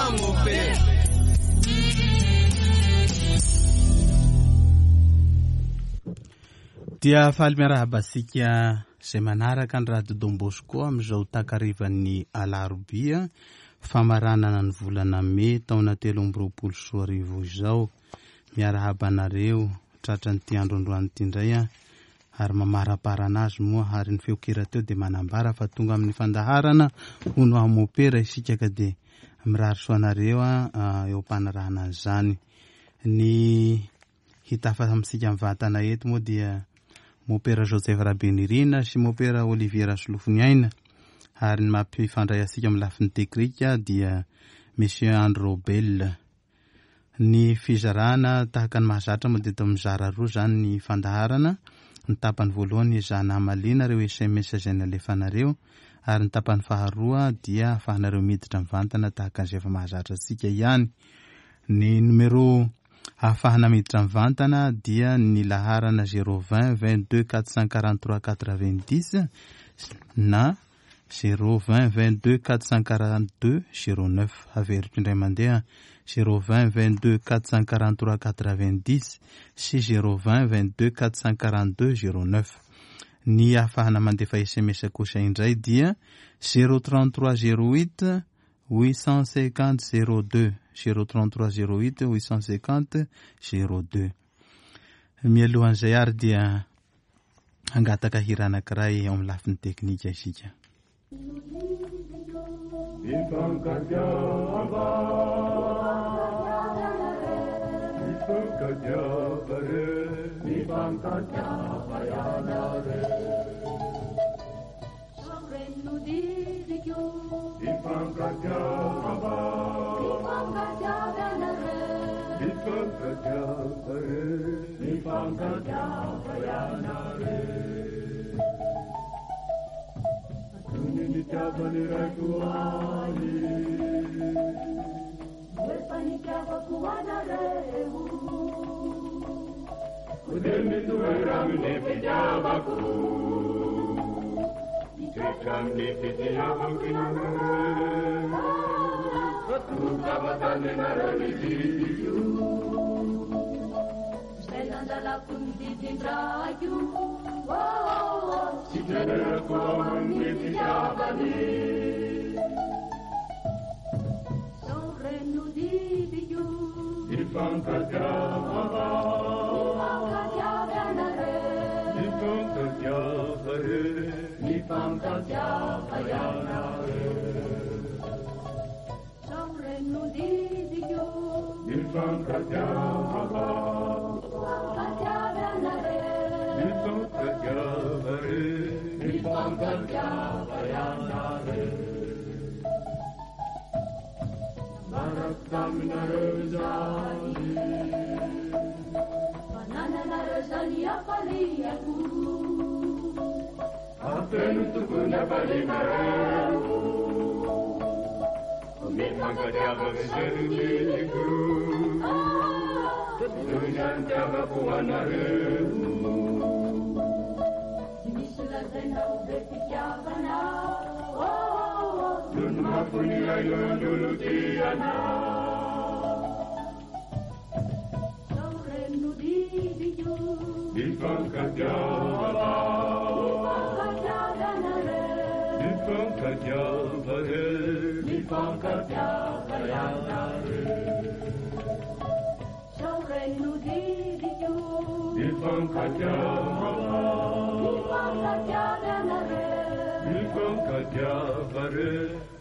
aho mopera. Dia faly miarahaba antsika izay manaraka ny Radio Don Bosco amin'izao takarivan'ny alarobia famaranana ny volana mey taona 2023 izao. Miarahaba anareo tratran'ity andro androany ity indray aho ary mamaraparana azy moa ary ny feon-kira teo dia manambara fa tonga amin'ny fandaharana hono aho mopera isika ka dia mirary soa anareo eo am-panarahana an'izany. Ny hitafa amintsika mivantana eto moa dia mopera Joseph Rabenirina sy mopera Olivier Rasolofoniaina ary ny mampifandray antsika amin'ny lafiny teknika dia Monsieur Andry Robel. Ny fizarana tahaka ny mahazatra moa dia eto mizara roa izany ny fandaharana. Ny tapany voalohany ezahana hamaliana ireo sms izay nalefanareo ary ny tapany faharoa dia ahafahanareo miditra mivantana tahaka an'izay efa mahazatra antsika ihany. Ny numéro ahafahana miditra mivantana dia ny laharana 020 22 443 90 na 0 20 22 442 09 averiko indray mandeha 0 20 22 443 90 sy 0 20 22 442 09 ny ahafahana mandefa sms kosa indray dia 033 08 850 02 033 08 850 02 mialohan'izay ary dia hangataka hira anankiray eo amin'ny lafiny teknika isika. Mifankatiava, mifankatiava re, mifankatiava ianareo. Mifankatiava, mifankatiava re, mifankatiava ianareo. Tony nitiavan'ny raiko ahy. Kode mitoera amin'ny fitiavako. Mitoetra amin'ny fitiavako ianareo. Fa tonga vatanenareo ny didiko. Tsy toerako ao amin'ny fitiavany. Mifankatiava, mifankatiava re, mifankatiava ianareo. Mifankatiava, mifankatiava re, mifankatiava ianareo. Miaraka aminareo izany. Afeno tokony hafalianareo. Mifankatiava izay nomeko. Toy ny nitiavako anareo. Noho ny mafy aina nolotiana. Mifankatiava, mifankatiava re, mifankatiava ianareo. Mifankatiava, mifankatiava re,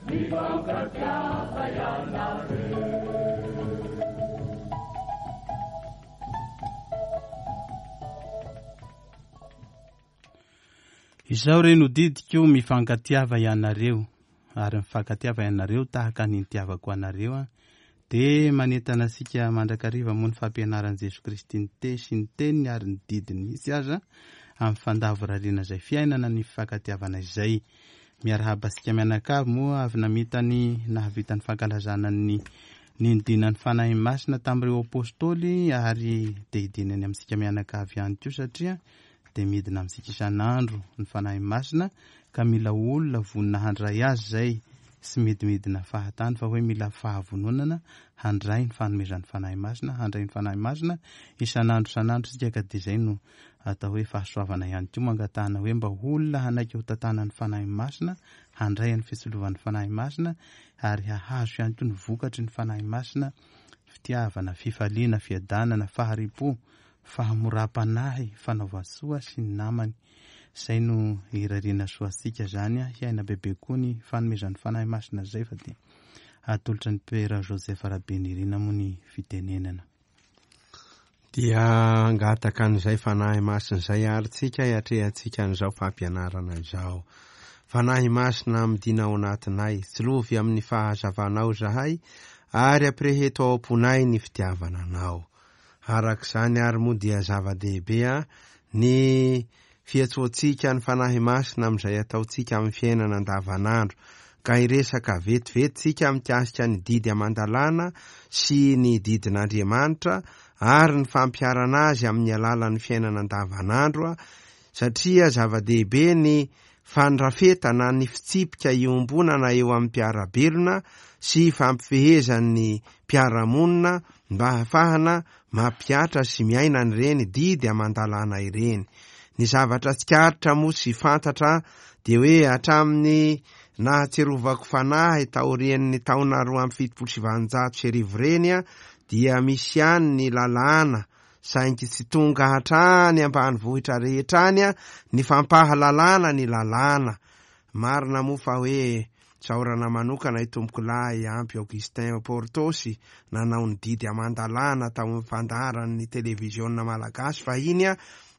mifankatiava ianareo. Izao re no didiko mifankatiava ianareo ary mifankatiava ianareo tahaka ny nitiavako anareo a. Dia manentana antsika mandrakariva moa ny fampianaran'i Jesoa Kristy ny te sy ny teniny ary ny didiny mihitsy aza amin'ny fandavorariana izay fiainana ny fifankatiavana izay. Miarahaba antsika mianakavy moa avy namita ny nahavita ny fankalazana ny nidinan'ny Fanahy Masina tamin'ireo apôstôly ary dia hidinany amintsika mianakavy ihany koa satria dia midina amintsika isan'andro ny Fanahy Masina ka mila olona vonona handray azy izay. tsy midimidina fahatany fa hoe mila fahavononana handray ny fanomezan'ny Fanahy Masina, handray ny Fanahy Masina isan'andro isan'andro isika ka dia izay no atao hoe fahasoavana ihany koa mangatahana hoe mba ho olona hanaiky ho tantanan'ny Fanahy Masina, handray ny fitsilovan'ny Fanahy Masina ary hahazo ihany koa ny vokatry ny Fanahy Masina, fitiavana, fifaliana, fiadanana, fahari-po, fahamoram-panahy, fanaovan-tsoa sy ny namany. Izay no irariana soa antsika izany, hiaina bebe koa ny fanomezan'ny Fanahy Masina izay fa dia atolotra ny Père Joseph Rabenirina moa ny fitenenana. Dia hangataka an'izay Fanahy Masina izay àry tsika hiatrehantsika an'izao fampianarana izao. Fanahy Masina midina ao anatinay, tsilovy amin'ny fahazavanao izahay ary ampireheto ao am-ponay ny fitiavana Anao. Araka izany àry moa dia zava-dehibe ny fiantsoantsika ny Fanahy Masina amin'izay ataontsika amin'ny fiainana andavanandro, ka hiresaka vetivety tsika mikasika ny didy aman-dalàna sy ny didin'Andriamanitra ary ny fampiharana azy amin'ny alalan'ny fiainana andavanandro, satria zava-dehibe ny fandrafetana ny fitsipika iombonana eo amin'ny mpiara-belona sy ifampifehezan'ny mpiara-monina mba hahafahana mampihatra sy miaina an'ireny didy aman-dalàna ireny. Ny zavatra tsikaritra moa sy fantatra dia hoe hatramin'ny nahatsiarovako fanahy taorian'ny taona 1872 ireny dia misy ihany ny lalàna saingy tsy tonga hatrany ambanivohitra rehetra any ny fampahalalana ny lalàna. Marina moa fa hoe tsaorana manokana i Tompokolahy Ampy Augustin Portosy nanao ny didy aman-dalàna tao amin'ny fandaharan'ny televiziona malagasy fahiny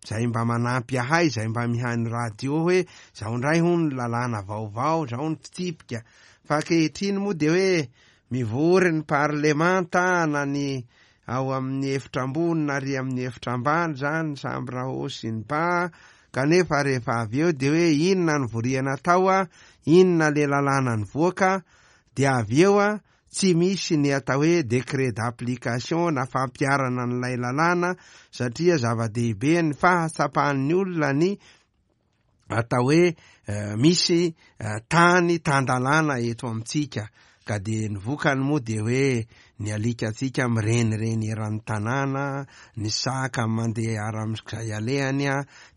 izay mba manampy ahay izay mba mihaino radio hoe zao indray hono ny lalàna vaovao, zao ny fitsipika. Fa ankehitriny moa dia hoe mivory ny parlemanta na ny ao amin'ny efitra ambony na ary amin'ny efitra ambany izany ny chambre haut sy ny bas, kanefa rehefa avy eo dia hoe inona no voriana tao a, inona le lalàna nivoaka, dia avy eo a, tsy misy ny atao hoe décret d'application na fampiharana an'ilay lalàna satria zava-dehibe ny fahatsapan'ny olona ny atao hoe misy tany tan-dalàna eto amintsika ka dia ny vokany moa dia hoe ny alikantsika mirenireny eran'ny tanàna, ny saka mandeha aram'izay alehany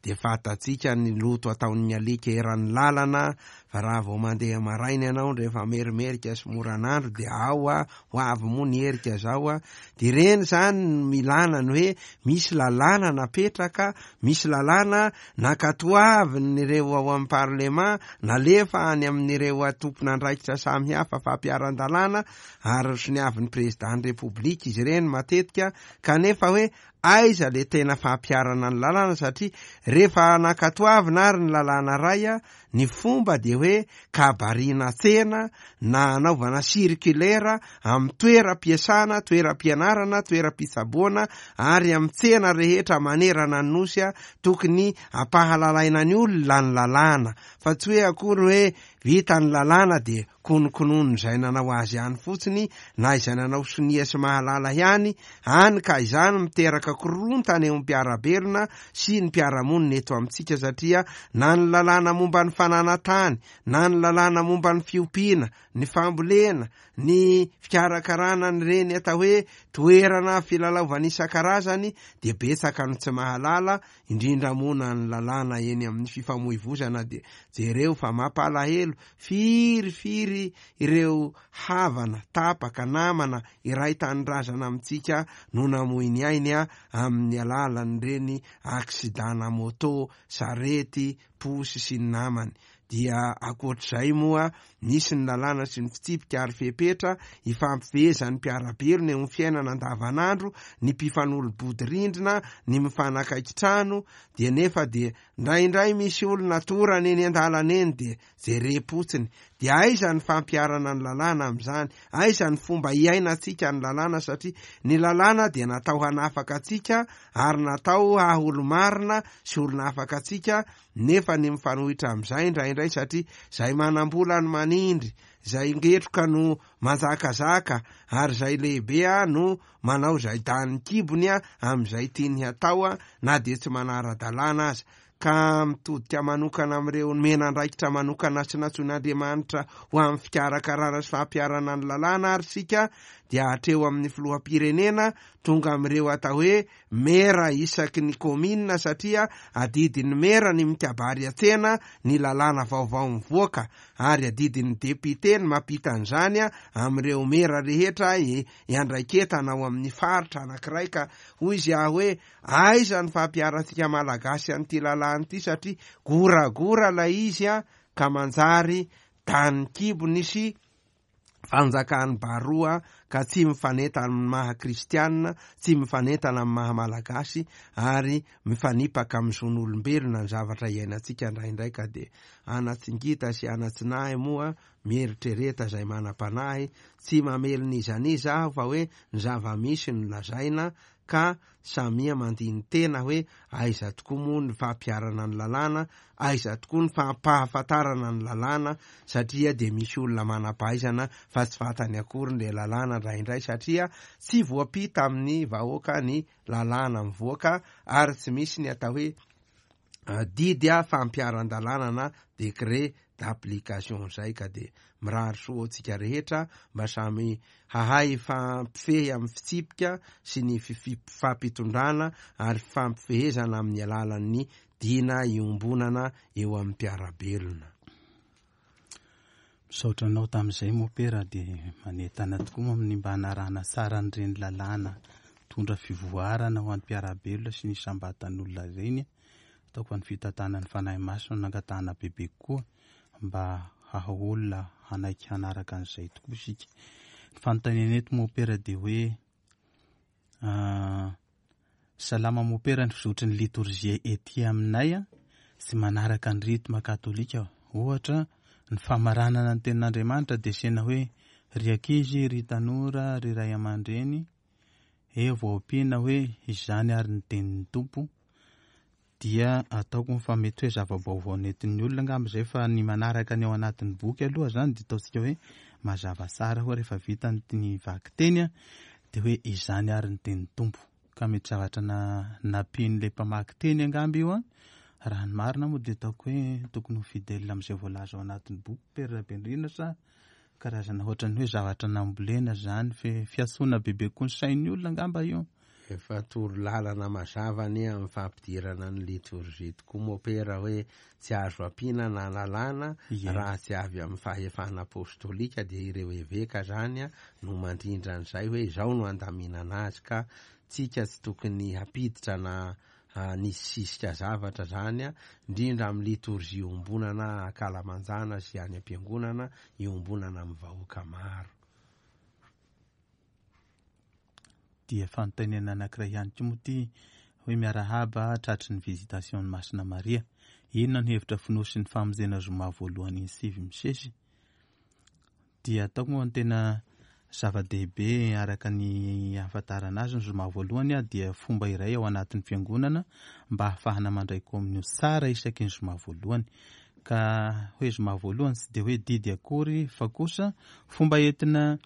dia fantatsika ny loto ataon'ny alika eran'ny lalana fa raha vao mandeha maraina ianao rehefa merimerika sy moran'andro dia ao ho avy moa ny herika zao a, de ireny zany no milana ny hoe misy lalàna napetraka, misy lalàna nankatoavin'ireo ao amin'ny parlement, nalefa any amin'ireo tompon'andraikitra samihafa fampiharan-dalàna ary soniavin'ny président-n'ny république izy ireny matetika, kanefa hoe aiza le tena fampiharana ny lalàna satria rehefa nankatoavina ary ny lalàna ray a, Ny fomba dia hoe kabariana tsena na anaovana circulaire amin'ny toeram-piasana, toeram-pianarana, toeram-pitsaboana ary amin'ny tsena rehetra manerana ny Nosy tokony ampahalalaina ny olona ny lalàna fa tsy hoe akory hoe vita ny lalàna dia Kononkonon'izay nanao azy ihany fotsiny na izay nanao sonia sy mahalala ihany, any ka izany miteraka korontana eo amin'ny mpiara-belona sy ny mpiara-monina eto amintsika satria na ny lalàna momba ny fananan-tany, na ny lalàna momba ny fiompiana, ny fambolena, ny fikarakarana an'ireny atao hoe toerana filalaovana isan-karazany dia betsaka no tsy mahalala, indrindra moa na ny lalàna eny amin'ny fifamoivozana dia jereo fa mampalahelo Firy firy ireo havana, tapaka, namana, iray tanindrazana amintsika no namoy ny ainy amin'ny alalan'ireny aksidana moto, sarety, posy sy ny namany. Dia ankoatr'izay moa, misy ny lalàna sy ny fitsipika ary fepetra ifampifehezan'ny mpiara-belona eo amin'ny fiainana andavanandro, ny mpifanolo-bodirindrina, ny mifanakaiky trano, dia nefa dia Indraindray misy olona torana eny an-dalana eny dia jerem-potsiny. Dia aiza ny fampiharana ny lalàna amin'izany? Aiza ny fomba hiainantsika ny lalàna satria ny lalàna dia natao hanafaka antsika ary natao haha olo-marina sy olona afaka antsika nefa ny mifanohitra amin'izay indraindray satria izay manam-bola no manindry, izay ngetroka no manjakazaka ary izay lehibe no manao izay danin'ny kibony amin'izay tiany hatao na dia tsy manara-dalàna aza. Ka mitodika manokana amin'ireo nomena andraikitra manokana sy nantsoin'Andriamanitra ho amin'ny fikarakarana sy fampiharana ny lalàna ary isika dia hatreo amin'ny filoham-pirenena tonga amin'ireo atao hoe mera isaky ny kaominina satria adidin'ny mera ny mikabary an-tsena ny lalàna vaovao mivoaka ary adidin'ny depite ny mampita an'izany amin'ireo mera rehetra iandraiketana ao amin'ny faritra anankiray ka hoy izy aho hoe Aiza ny fampiharantsika malagasy an'ity lalàna ity satria goragora ilay izy an, ka manjary danin-kibony sy fanjakan'ny baroa ka tsy mifanentana amin'ny maha kristianina, tsy mifanentana amin'ny maha malagasy ary mifanipaka amin'ny zon'olombelona ny zavatra iainantsika indraindray ka dia anatsingita sy anatsinahy moa mieritrereta izay manam-panahy, tsy mamely n'iza n'iza aho fa hoe ny zava-misy no lazaina ka samia mandini-tena hoe aiza tokoa moa ny fampiharana ny lalàna, aiza tokoa ny fampahafantarana ny lalàna satria dia misy olona manam-pahaizana fa tsy fantany akory ny lalàna indraindray satria tsy voampita amin'ny vahoaka ny lalàna mivoaka ary tsy misy ny atao hoe didy fampiharan-dalàna na décret d'application izay ka dia mirary soa antsika rehetra mba samy hahay hifampifehy amin'ny fitsipika sy ny fifampitondrana ary fifampifehezana amin'ny alalan'ny dina iombonana eo amin'ny mpiara-belona. Misaotra anao tamin'izay Mopera dia manentana tokoa moa amin'ny mba hanarahana tsara an'ireny lalàna mitondra fivoarana ho an'ny mpiara-belona sy ny isam-batan'olona ireny. Ataoko fa ny fitantanan'ny Fanahy Masina no nangatahana bebe kokoa mba haha olona hanaiky hanaraka an'izay tokoa isika. Ny fanontaniana eto Mopera dia hoe Salama mopera ny fizotry ny litorjia ety aminay tsy manaraka ny rythme katolika ohatra ny famaranana ny tenin'Andriamanitra dia asiana hoe ry ankizy ry tanora ry ray aman-dreny eo vao ampiana hoe izany ary ny tenin'ny Tompo dia ataoko fa mety hoe zava-baovao nentin'ny olona angamba izay fa ny manaraka ny ao anatin'ny boky aloha izany dia ataontsika hoe mazava tsara hoe rehefa vita ny vakiteny dia hoe izany ary ny tenin'ny Tompo ka mety zavatra na nampian'ilay mpamaky teny angamba io an raha ny marina moa dia ataoko hoe tokony ho fidèle amin'izay voalaza ao anatin'ny boky Père Rabenirina sa karazana ohatran'ny hoe zavatra nambolena izany fe fiantsoana bebe kokoa ny sain'ny olona angamba io. Efa toro lalana mazava anie amin'ny fampidirana ny litorjia tokoa mopera hoe tsy azo ampiana na lalàna raha tsy avy amin'ny fahefana apostolika dia ireo eveka zany no mandrindra an'izay hoe izao no andaminana azy ka tsika tsy tokony hampiditra na hanisisika zavatra zany indrindra amin'ny litorjia iombonana ankalamanjana sy any am-piangonana iombonana amin'ny vahoaka maro. Dia fanontaniana anankiray ihany koa moa ity hoe miarahaba tratry ny visitation ny Masina Maria. Inona no hevitra fonosin'ny famonjena zoma voalohany iny sivy misesy? Dia ataoko moa ny tena zava-dehibe araka ny ahafantarana azy ny zoma voalohany dia fomba iray ao anatin'ny fiangonana mba hahafahana mandray kominio tsara isaky ny zoma voalohany. Ka hoe zoma voalohany tsy dia hoe didy akory fa kosa fomba entina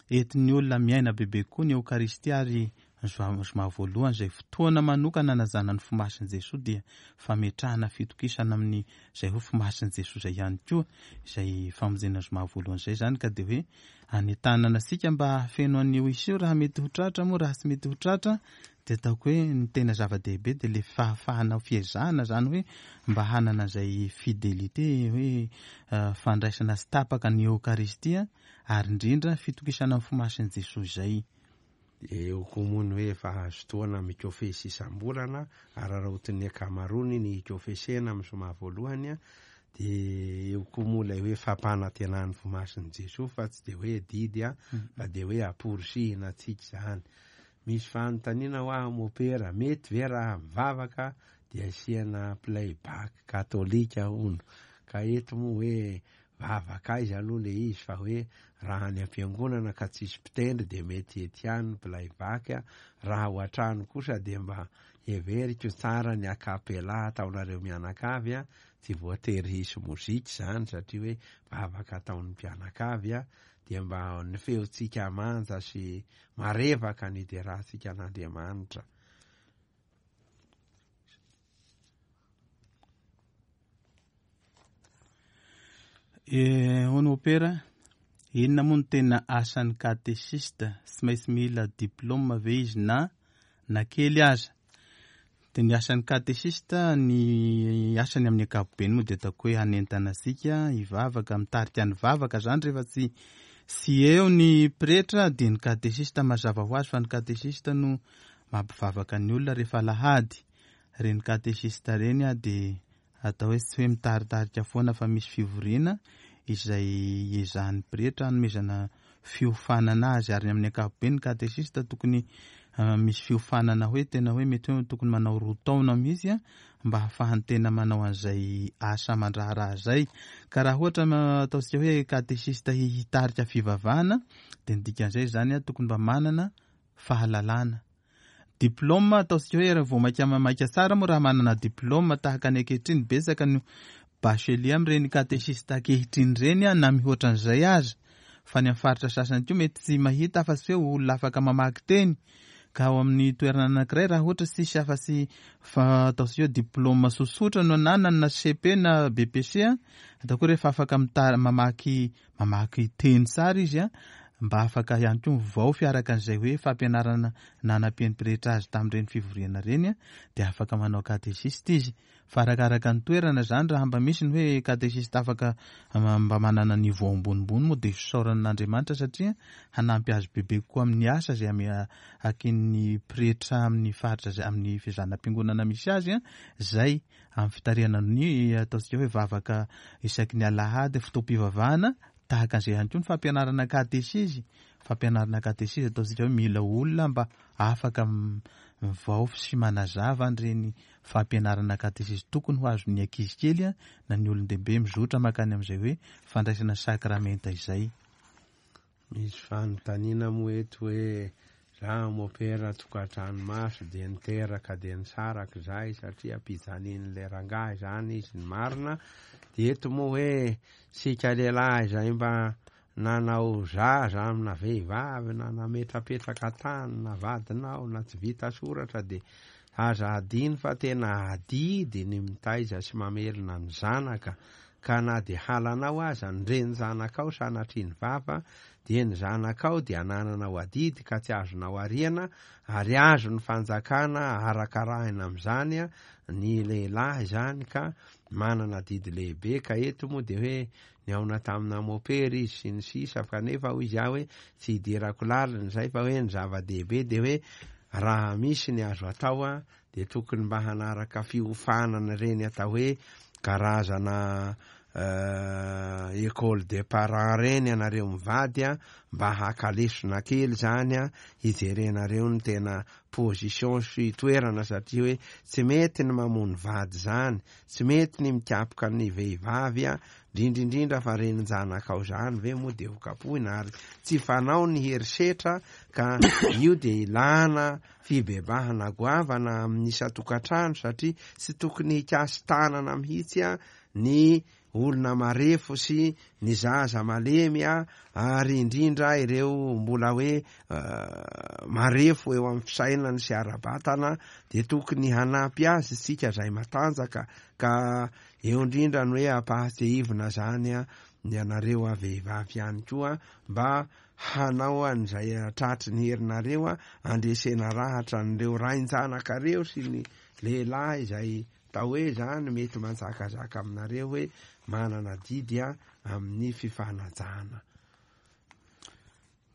entin'ny olona miaina bebe kokoa ny Eokaristia ary ny zoma voalohany izay fotoana manokana hanajana ny fo masin'i Jesoa dia fametrahana fitokisana amin'ny izay hoe fo masin'i Jesoa izay ihany koa izay famonjena zoma voalohany izay izany ka dia hoe anentanana antsika mba hahafeno an'io isa io raha mety ho tratra moa raha tsy mety ho tratra dia ataoko hoe ny tena zava-dehibe dia le fahafahana fiezahana izany hoe mba hanana izay fidélité hoe fandraisana tsy tapaka ny Eokaristia ary indrindra fitokisana ny fo masin'i Jesoa izay. Eo koa moa ny hoe efa azo tohana mikofesy isam-bolana, araraotin'ny ankamaroany ny hikofesena amin'ny zoma voalohany, dia eo koa moa ilay hoe fampanantenan'ny fo masin'i Jesoa fa tsy dia hoe didy fa dia hoe amporisihina antsika izany. Misy fanontaniana ho aho mopera, mety ve raha mivavaka dia asiana play back katolika hono? Ka eto moa hoe Vavaka aiza aloha le izy fa hoe raha any am-piangonana ka tsisy mpitendry dia mety hety ihany ny playback, raha ao an-trano kosa dia mba heveriko tsara ny acapella ataonareo mianakavy a, tsy voatery hisy mozika izany satria hoe vavaka ataon'ny mpianakavy a, dia mba ny feontsika manja sy marevaka ny hiderantsika an'Andriamanitra. Hono Mopera, inona moa no tena asan'ny katesista? Tsy maintsy mila diplaoma ve izy na na kely aza? Dia ny asan'ny katesista, ny asany amin'ny ankapobeny moa dia ataoko hoe hanentana antsika hivavaka, mitarika ny vavaka izany rehefa tsy tsy eo ny pretra dia ny katesista mazava ho azy fa ny katesista no mampivavaka ny olona rehefa alahady. Ireny katesista ireny dia Atao hoe tsy hoe mitaritarika foana fa misy fivoriana izay iezahan'ny pretra hanomezana fiofanana azy ary amin'ny ankapobeny ny katesista tokony misy fiofanana hoe tena hoe mety hoe tokony manao roa taona mihitsy mba hahafahany tena manao an'izay asa aman-draharaha izay. Ka raha ohatra ataontsika hoe katesista hitarika fivavahana dia ny dikan'izay izany tokony mba manana fahalalana. Diplôme, ataontsika hoe raha vao maika maika tsara moa raha manana diplôme tahaka ny ankehitriny, betsaka ny bachelier amin'ireny katesista ankehitriny ireny na mihoatra an'izay aza. Fa ny amin'ny faritra sasany koa mety tsy mahita afa-tsy hoe olona afaka mamaky teny. Ka ao amin'ny toerana anankiray raha ohatra tsisy afa-tsy fa ataontsika hoe diplôme tsotsotra no ananany na cepe na BEPC, ataoko hoe rehefa afaka mamaky mamaky teny tsara izy mba afaka ihany koa mivaofy araka an'izay hoe fampianarana nanampian'ny pretra azy tamin'ireny fivoriana ireny dia afaka manao katesista izy. Fa arakaraka ny toerana izany raha mba misy ny hoe katesista afaka mba manana niveau ambonimbony moa dia fisaorana an'Andriamanitra satria hanampy azy bebe kokoa amin'ny asa izay akin'ny pretra amin'ny faritra izay amin'ny fizanam-piangonana misy azy izay amin'ny fitarihana ny ataontsika hoe vavaka isaky ny alahady, fotoam-pivavahana, tahaka an'izay ihany koa ny fampianarana katesizy, fampianarana katesizy ataontsika hoe mila olona mba afaka mivaofy sy manazava an'ireny fampianarana katesizy tokony ho azon'ny ankizy kely na ny olon-dehibe mizotra mankany amin'izay hoe fandraisana sakramenta izay. Misy fanontaniana moa eto hoe za mopera tokantrano maso dia niteraka dia nisaraka izahay satria ampijalian'ilay rangahy izany izy ny marina dia eto moa hoe sika lehilahy izay mba nanao zaza amina vehivavy na nametrapetraka tany na vadinao na tsy vita soratra dia aza adino fa tena adidy ny mitaiza sy mamelona ny zanaka Ka na dia halanao aza ny renin-janakao sanatria ny vava, dia ny zanakao dia anananao adidy ka tsy azonao ariana, ary azon'ny fanjakana arakarahina amin'izany ny lehilahy izany ka manana adidy lehibe, ka eto moa dia hoe nihaona tamina mopera izy sy ny sisa kanefa hoy izy aho hoe tsy hidirako lalina izay fa hoe ny zava-dehibe dia hoe raha misy ny azo atao dia tokony mba hanaraka fiofanana ireny atao hoe karazana école des parents ireny ianareo mivady a, mba haka lesona kely izany a, hijerenareo ny tena position sy toerana satria hoe tsy mety ny mamono vady izany, tsy mety ny mikapoka ny vehivavy a, indrindra indrindra fa renin-janakao izany ve moa dia ho kapohina ary tsy fanao ny herisetra ka io dia ilana fibebahana goavana amin'ny isan-tokantrano satria tsy tokony hikasi-tanana mihitsy ny olona marefo sy ny zaza malemy ary indrindra ireo mbola hoe marefo eo amin'ny fisainany sy ara-batana dia tokony hanampy azy isika izay matanjaka ka eo indrindra ny hoe ampahatsiahivina izany ny anareo vehivavy ihany koa mba hanao an'izay tratry ny herinareo handresena rahatra an'ireo rain-janakareo sy ny lehilahy izay atao hoe izany mety manjakazaka aminareo hoe manana adidy amin'ny fifanajana.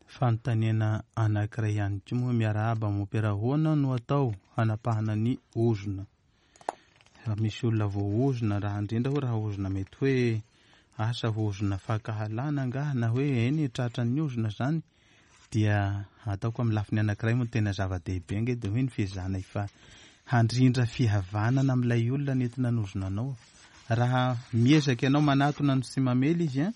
Fanontaniana anankiray ihany koa moa miarahaba mompera ahoana no atao hanapahana ny ozona? Raha misy olona voaozona, raha indrindra hoe raha ozona mety hoe asa ozona fankahalana angaha na hoe eny tratran'ny ozona izany dia ataoko amin'ny lafiny anankiray moa tena zava-dehibe ange dia hoe ny fiezahana efa handrindra fihavanana amin'ilay olona nentina nanozona anao. Raha miezaka ianao manatona no tsy mamely izy an,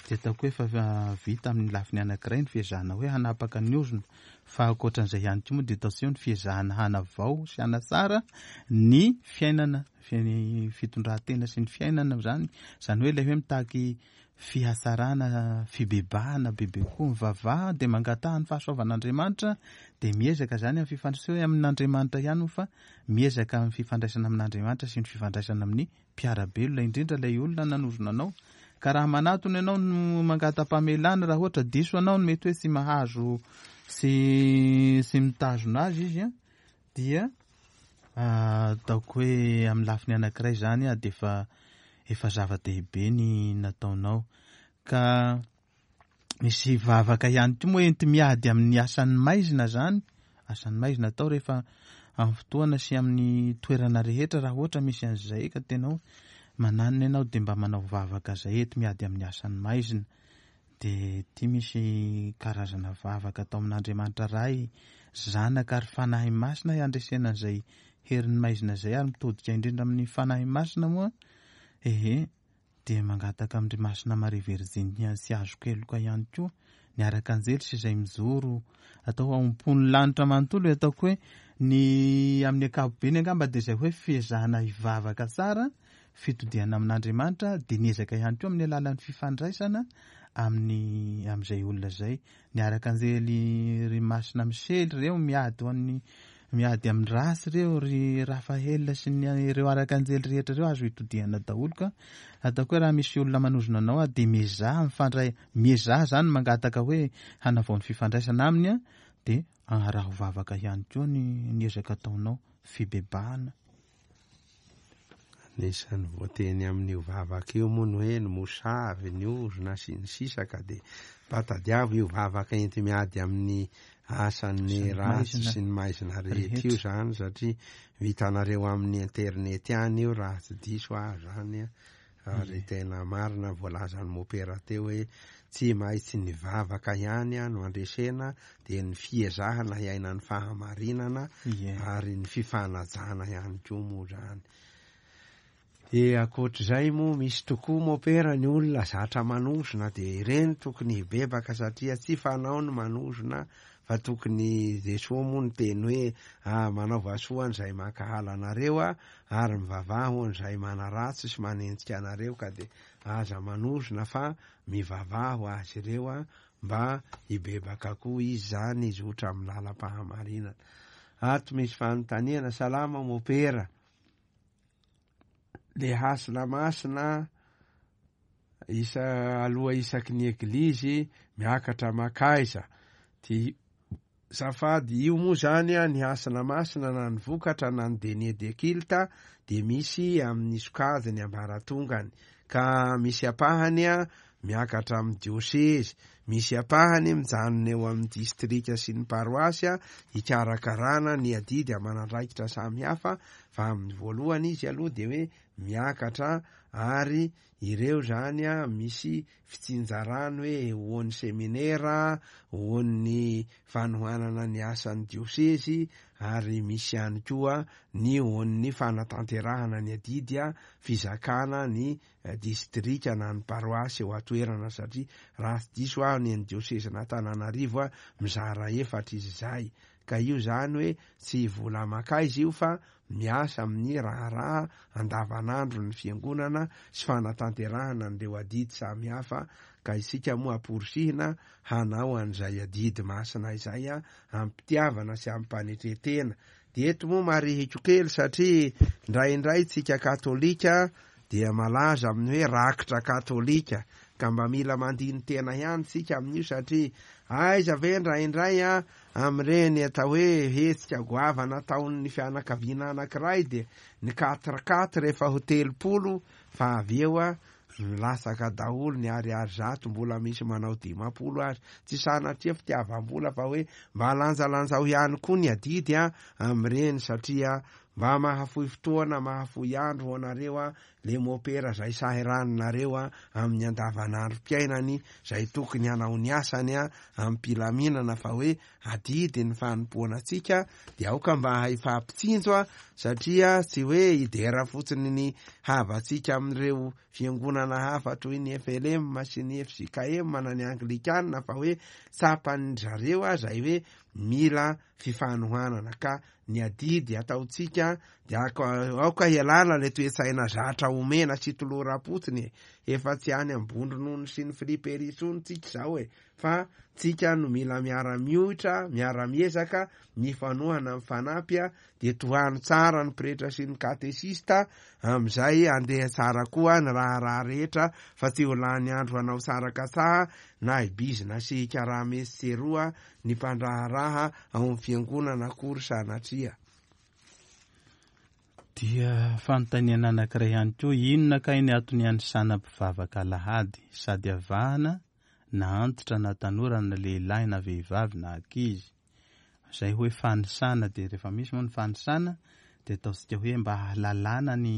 dia ataoko hoe efa vita amin'ny lafiny anankiray ny fiezahana hoe hanapaka ny ozona. Fa ankoatran'izay ihany koa moa dia ataontsika hoe ny fiezahana hanavao sy hanatsara ny fiainana, ny fitondran-tena sy ny fiainana izany. Izany hoe ilay hoe mitaky fihatsarana, fibebahana bebe kokoa, mivavaha dia mangataha ny fahasoavan'Andriamanitra dia miezaka izany amin'ny fifandraisana, tsy hoe amin'Andriamanitra ihany moa fa miezaka amin'ny fifandraisana amin'Andriamanitra sy ny fifandraisana amin'ny mpiara-belona, indrindra ilay olona nanozona anao. Ka raha manatona ianao no mangata-pamelana raha ohatra diso anao no mety hoe tsy mahazo sy sy mitazona azy izy an, dia ataoko hoe amin'ny lafiny anankiray izany dia efa efa zava-dehibe ny nataonao. Ka misy vavaka ihany koa moa enti-miady amin'ny asan'ny maizina izany, asan'ny maizina atao rehefa amin'ny fotoana sy amin'ny toerana rehetra raha ohatra misy an'izay ka tena hoe mananona ianao dia mba manao vavaka izay enti-miady amin'ny asan'ny maizina. Dia ity misy karazana vavaka atao amin'Andriamanitra Ray, Zanaka ary Fanahy Masina handresena an'izay herin'ny maizina izay ary mitodika indrindra amin'ny Fanahy Masina moa ehe. Dia mangataka amin-dry Masina Maria Virjiny sy azon-keloka ihany koa ny Arakanjely sy izay mijoro atao ao am-pon'ny lanitra manontolo e, ataoko hoe ny amin'ny ankapobeny angamba dia izay hoe fiezahana hivavaka tsara, fitodihana amin'Andriamanitra, dia ny ezaka ihany koa amin'ny alalan'ny fifandraisana amin'ny amin'izay olona izay. Ny Arakanjely ry Masina Misely ireo miady ho an'ny miady amin'ny ratsy ireo, ry Raphaël sy ny ireo Arakanjely rehetra ireo azo itodihana daholo ka ataoko hoe raha misy olona manozona anao ah dia miezaha mifandray, miezaha zany mangataka hoe hanavao ny fifandraisana aminy ah dia araho vavaka ihany koa ny ny ezaka ataonao, fibebahana. Anisan'ny voateny amin'io vavaka io moa ny hoe ny mosavy, ny ozona sy ny sisa ka dia mba tadiavo io vavaka enti-miady amin'ny asan'ny ratsy sy ny maizina rehetra io zany satria vitanareo amin'ny internet ihany io raha tsy diso aho zany a. Ary tena marina ny voalazan'i Mopera teo hoe tsy maintsy ny vavaka ihany no andresena dia ny fiezahana hiaina ny fahamarinana ary ny fifanajana ihany koa moa zany. Dia ankoatr'izay moa misy tokoa Mopera ny olona zatra manozona dia ireny tokony hibebaka satria tsy fanao ny manozona fa tokony Jesoa moa niteny hoe ah manaova soa an'izay mankahala anareo ah ary mivavaha ho an'izay manaratsy sy manenjika anareo ka dia aza manozona fa mivavaha ho azy ireo ah mba hibebaka koa izy zany hizotra amin'ny lalam-pahamarinana. Ato misy fanontaniana, salama mopera, le hasina masina isa aloha isaky ny eglizy miakatra makaiza ty zafady io moa zany a ny hasina masina na ny vokatra na ny denier de culte de misy amin'ny sokajiny ambaratongany ka misy ampahany a miakatra amin'ny diosezy misy ampahany mijanona eo amin'ny distrika sy ny paroasy a hikarakarana ny adidy aman'andraikitra samihafa fa amin'ny voalohany izy aloha de hoe miakatra ary ireo zany a misy fitsinjarany hoe ho an'ny seminera, ho an'ny fanohanana ny asan'ny diosezy ary misy ihany koa ny ho an'ny fanatanterahana ny adidy a fizakana ny distrika na ny paroasy eo an-toerana satria raha tsy diso aho ny an'ny diosezin'Antananarivo a mizara efatra izy izay ka io zany hoe tsy vola makaiza io fa miasa amin'ny raharaha andavanandron'ny fiangonana sy fanatanterahana an'ireo adidy samihafa ka isika moa amporisihina hanao an'izay adidy masina izay am-pitiavana sy am-panetren-tena. Dia eto moa marihiko kely satria indraindray tsika katolika dia malaza amin'ny hoe rakitra katolika ka mba mila mandini-tena ihany tsika amin'io satria aiza ve indraindray a Amin'ireny atao hoe hetsika goavana ataon'ny fianakaviana anankiray dia ny quatre quatre efa ho 30 fa avy eo milatsaka daholo ny ariary 100 mbola misy manao 50 aza. Tsy sanatria fitiavam-bola fa hoe mba lanjalanjao ihany koa ny adidy amin'ireny satria mba mahafoy fotoana, mahafoy andro ho anareo le mopera zay sahiraninareo a amin'ny andavanandrom-piainany zay tokony hanao ny asany a amim-pilaminana fa hoe adidy ny fanompoana antsika de aoka mba hifampitsinjo a satria tsy hoe hidera fotsiny ny havantsika amin'ireo fiangonana hafa toy ny FLM sy ny FJKM na ny Anglikana fa hoe tsapan'ny zareo a zay hoe mila fifanohanana ka ny adidy ataontsika dia aoka hialana ilay toe-tsaina zatra omena sy toloram-potsiny e. Efa tsy any Ambondronono sy ny friperie intsony tsika izao e! Fa tsika no mila miara-mioitra, miara-miezaka, mifanohana, mifanampy dia tohano tsara ny pretra sy ny katesista amin'izay handeha tsara koa ny raharaha rehetra fa tsy ho lany andro hanao sarakatsaha na hibizina sy hikarama etsy sy eroa ny mpandraharaha ao amin'ny fiangonana akory sanatria. Dia fanontaniana anankiray ihany koa, inona kay ny antony hanisana mpivavaka alahady sady avahana na antitra na tanora na lehilahy na vehivavy na ankizy? Izay hoe fanisana dia rehefa misy moa ny fanisana dia ataontsika hoe mba hahalalana ny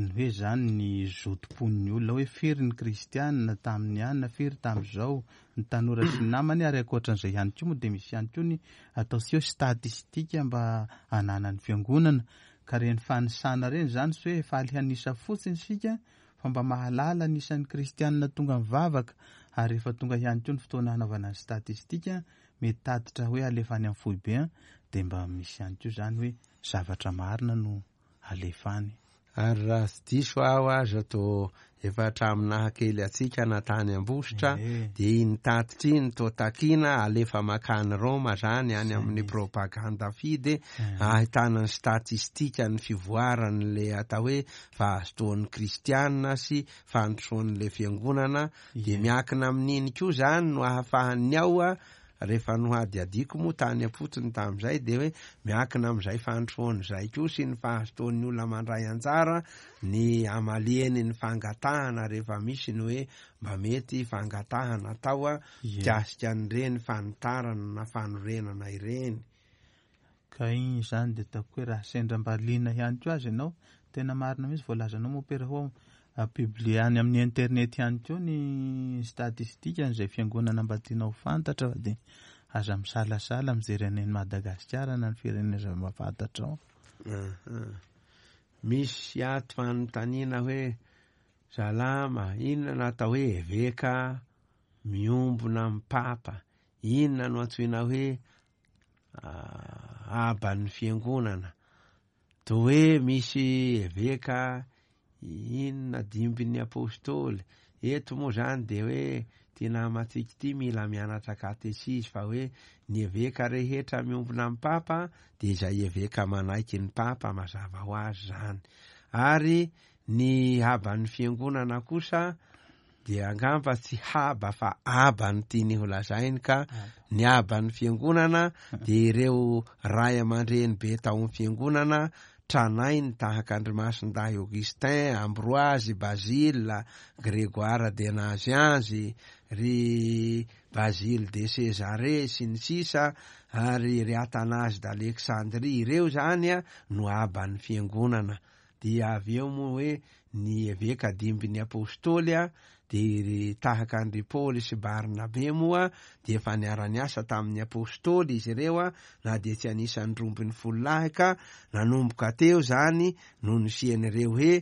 ny hoe zany ny zotom-pon'ny olona hoe firy ny kristianina tamin'ny anona, firy tamin'izao, ny tanora sy ny namany ary ankoatran'izay ihany koa moa dia misy ihany koa ny ataontsika hoe statistika mba ananan'ny fiangonana ka ireny fanisana ireny izany tsy hoe faly hanisa fotsiny isika fa mba mahalala ny isan'ny kristianina tonga mivavaka ary rehefa tonga ihany koa ny fotoana hanaovana ny statistika mety tatitra hoe alefa any amin'ny foibe an, dia mba misy ihany koa izany hoe zavatra marina no alefa any. Ary raha tsy diso aho aza toa efa hatramin'ny naha kely antsika na tany Ambositra dia iny tatitra iny toa takiana alefa makany Roma zany any amin'ny propaganda fide ahitana ny statistika ny fivoaran'le atao hoe fahazotoan'ny kristiana sy fandrosoan'le fiangonana Dia miankina amin'iny koa izany no ahafahan'ny ao rehefa nohadihadiako moa tany am-potony tamin'izay dia hoe miankina amin'izay fandrosoana izay koa sy ny fahazotoan'ny olona mandray anjara ny hamaliany ny fangatahana rehefa misy ny hoe mba mety fangatahana atao mikasika an'ireny fanitarana na fanorenana ireny. Ka igny izany dia ataoko hoe raha sendra mba liana ihany koa aza ianao, tena marina mihitsy voalazanao mompera hoa publier any amin'ny internet ihany koa ny statistique an'izay fiangonana mba tianao ho fantatra fa dia aza misalasala mijery any Madagasikara na ny firenena izay mba fantatrao. Misy ato fanontaniana hoe salama, inona no atao hoe eveka miombona amin'ny papa? Inona no antsoina hoe Aban'ny fiangonana. Toa hoe misy eveka inona dimbin'ny apostoly. Eto moa zany dia hoe ty namantsika ity mila mianatra katesizy fa hoe ny eveka rehetra miombona amin'ny papa dia izay eveka manaiky ny papa mazava ho azy zany. Ary ny haban'ny fiangonana kosa dia angamba tsy haba fa aba no tiany ho lazainy ka ny aban'ny fiangonana dia ireo ray aman-dreny be tao amin'ny fiangonana tranainy tahaka an-dry Masindahy Augustin, Ambroise, Basile, Grégoire de Nazianze, ry Basile de Césarée sy ny sisa ary ry Athanase d'Alexandrie, ireo izany no aban'ny fiangonana. Dia avy eo moa hoe ny eveka dimbin'ny apostoly dia ry tahaka an-dry Paoly sy Barnabe moa dia efa niara-niasa tamin'ny apostoly izy ireo na dia tsy anisan'ny 12 lahy ka nanomboka teo izany no nisian'ireo hoe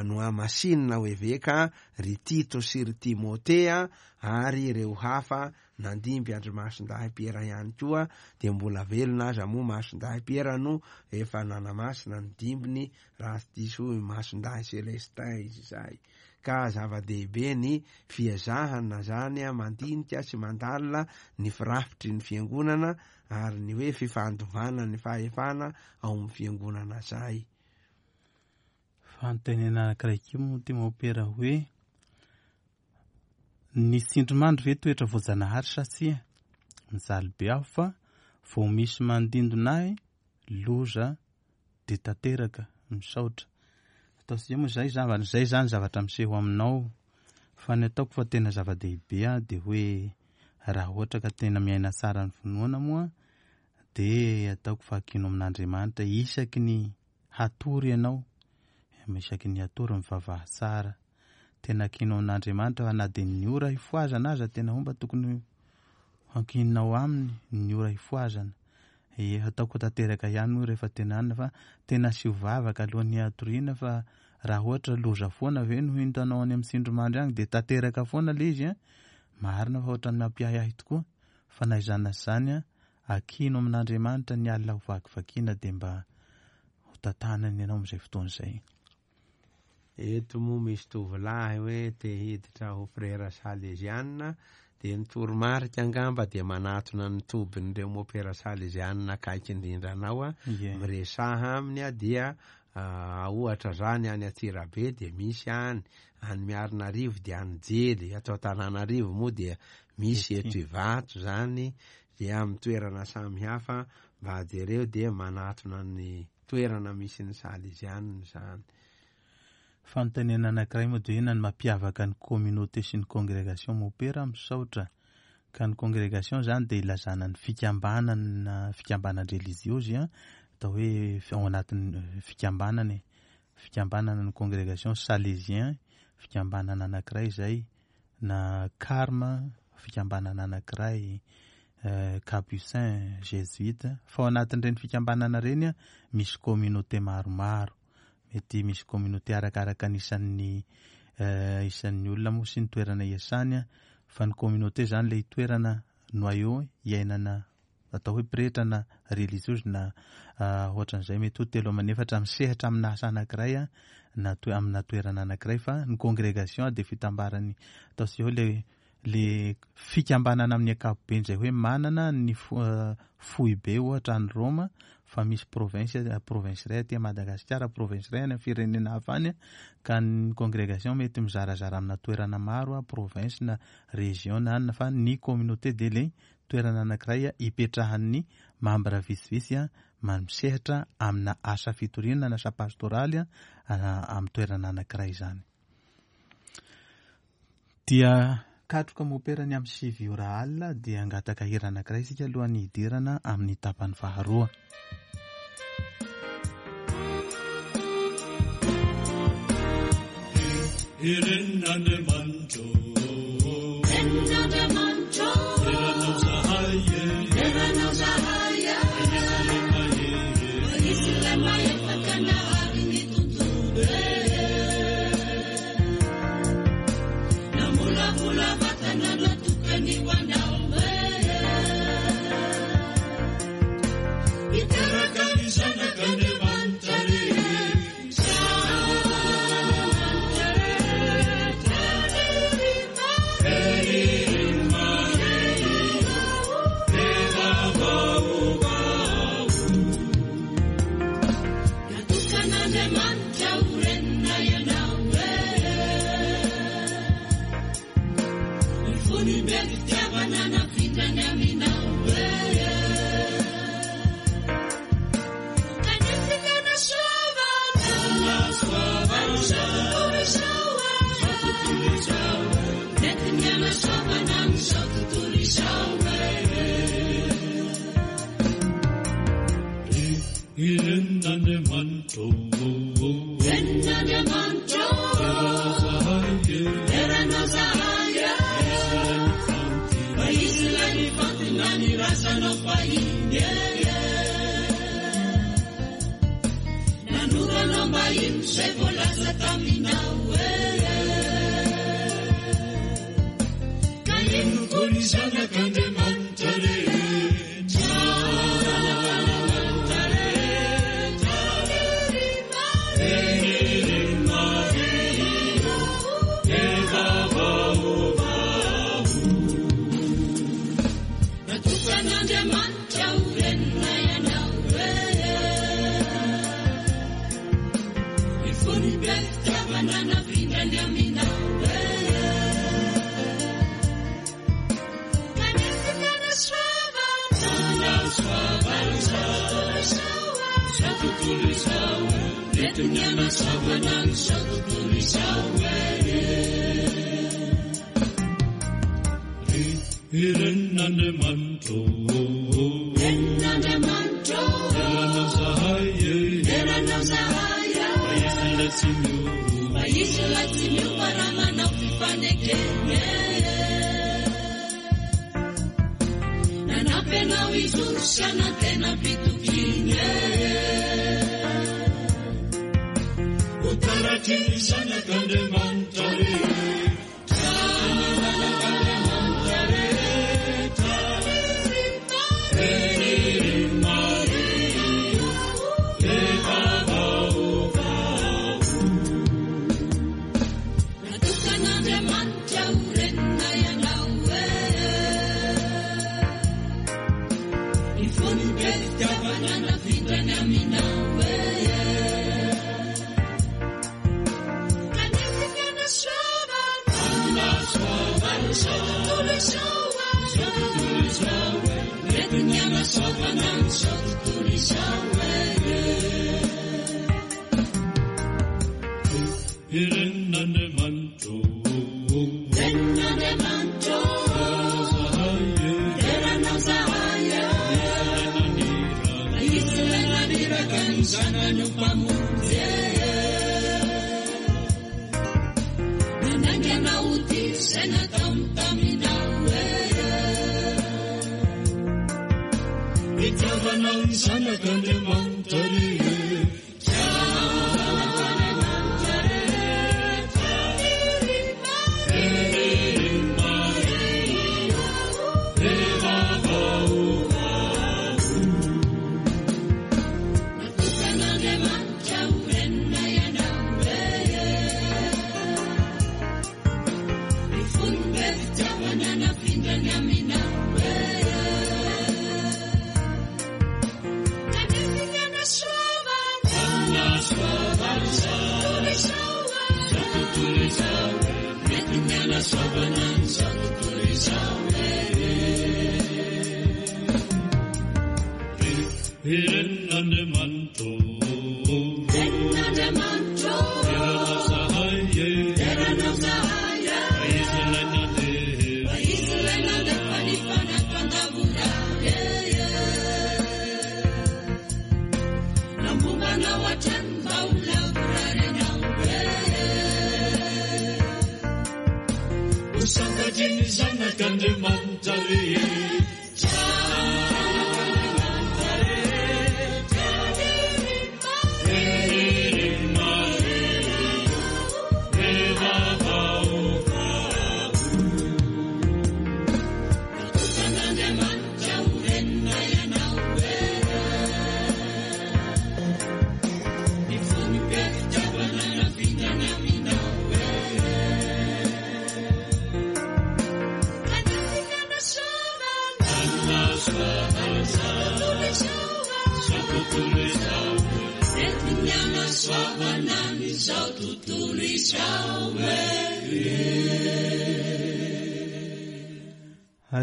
nohamasinina ho eveka ry Tito sy ry Timotea ary ireo hafa Nandimby an-dry Masindahy Piera ihany koa, dia mbola velona aza moa Masindahy Piera no efa nanamasina ny dimbiny raha tsy diso i Masindahy Celestin izy izay. Ka zava-dehibe ny fiezahana zany mandinika sy mandalina ny firafitry ny fiangonana ary ny hoe fifandovana ny fahefana ao amin'ny fiangonana zay. Fanontaniana anankiray koa moa ity mompera hoe Ny tsindrimandry ve toetra voajanahary sa tsia? Mijaly be aho fa vao misy mandindona ahy loza dia tanteraka. Misaotra. Ataontsika moa izay zava izay zany zavatra miseho aminao fa ny ataoko fa tena zava-dehibe dia hoe raha ohatra ka tena miaina tsara ny finoana moa dia ataoko fa ankino amin'Andriamanitra isaky ny hatory ianao, isaky ny hatory mivavaha tsara. Tena ankino amin'Andriamanitra fa na dia ny ora hifohazana aza tena homba tokony hankininao aminy ny ora hifohazana. E, ataoko tanteraka ihany moa rehefa tena anona fa tena asio vavaka alohan'ny hatoriana fa raha ohatra loza foana ve no hitanao any amin'ny tsindrimandry agny dia tanteraka foana le izy an. Marina fa ohatran'ny mampiahiahy tokoa fa na izany na izany an, ankino amin'Andriamanitra ny alina ho vakivakiana dia mba ho tantanany ianao amin'izay fotoana izay. Eto moa misy tovolahy hoe te hiditra ho frera salezianina, dia ny toromarika angamba dia manatona ny tobin'ireo mopera salezianina akaiky indrindra anao, miresaha aminy dia ohatra zany any Antsirabe dia misy any, any Miarinarivo dia any Jely, ato Antananarivo moa dia misy eto Ivato zany, dia amin'ny toerana samihafa mba jereo dia manatona ny toerana misy ny salezianina zany. Fanontaniana anankiray moa dia inona no mampiavaka ny communauté sy ny congrégation mopera? Misaotra. Ka ny congrégation zany dia ilazana ny fikambanana, fikambanan-drelijiozy, atao hoe ao anatin'ny fikambanana e. Fikambanana ny congrégation salésien, fikambanana anankiray izay, na carme, fikambanana anankiray, capucin, jésuite. Fa ao anatin'ireny fikambanana ireny misy communauté maromaro. Mety misy communauté arakaraka ny isan'ny isan'ny olona moa sy ny toerana iasany, fa ny communauté zany ilay toerana noyau iainana atao hoe pretra na religieuse na ohatran'izay, mety ho 3 aman'efatra misehatra amina asa anankiray na amina toerana anankiray. Fa ny congrégation dia fitambarany atao sy hoe le fikambanana amin'ny ankapobeny izay hoe manana ny foibe ohatra any Roma, fa misy province iray aty Madagasikara, province iray any amin'ny firenena hafa any, ka ny congrégation mety mizarazara amina toerana maro, province na région na anona, fa ny communauté dia le toerana anankiray ipetrahan'ny membre vitsivitsy misehatra amina asa fitoriana na asa pastoraly amin'ny toerana anankiray izany. Dia katroka mopera ny amin'ny 9 ora alina, dia hangataka hira anankiray isika alohan'ny hidirana amin'ny tapany faharoa. Iren'Andriamanitro, Iren'Andriamanitro, Eranao zahay, Eranao zahay, Izy ilay mahefa ka nahary ny tontolo. Namolavola vatana natokany ho anao. Hiteraka ny zanak'Andriamanitra rehetra. Natokan'Andriamanitra ho renina ianao. Ny fony be fitiavana nafindrany aminao. Kanefa nasoavana, izao tontolo izao, nentiny anasoavana an'izao tontolo izao. Iren'Andriamanitro, Iren'Andriamanitro, Eranao zahay, fa izy ilay nifantina ny razanao fahiny. Nanoranao mba ino izay voalaza taminao. Ka ino koa ny zanak'Andriamanitra rehetra. Natokan'Andriamanitra ho renina ianao. Ny fony be fitiavana nafindrany aminao. Kanefa nasoavana, izao tontolo izao, nentiny anasoavana an'izao tontolo izao. Iren'Andriamanitro, Iren'Andriamanitro, Eranao zahay, Eranao zahay, fa izy ilay tsy miova, fa izy ilay tsy miova raha manao fifanekena. Nanampy anao hijoro sy hanantena am-pitokiana. Ho taratry ny zanak'Andriamanitra rehetra. Zanak'Andriamanitra rehetra. Maria, Eva vaovao. tontolo izao Izao tontolo izao Entiny hanasoavana an'izao tontolo izao Renin'Andriamanitra ô Renin'Andriamanitra ô Dera anao zahay Izy ilay naniraka ny zanany ho mpamonjy Nanainga anao ho tia izay nataony taminao Fitiavanao ny zanak'Andriamanitra re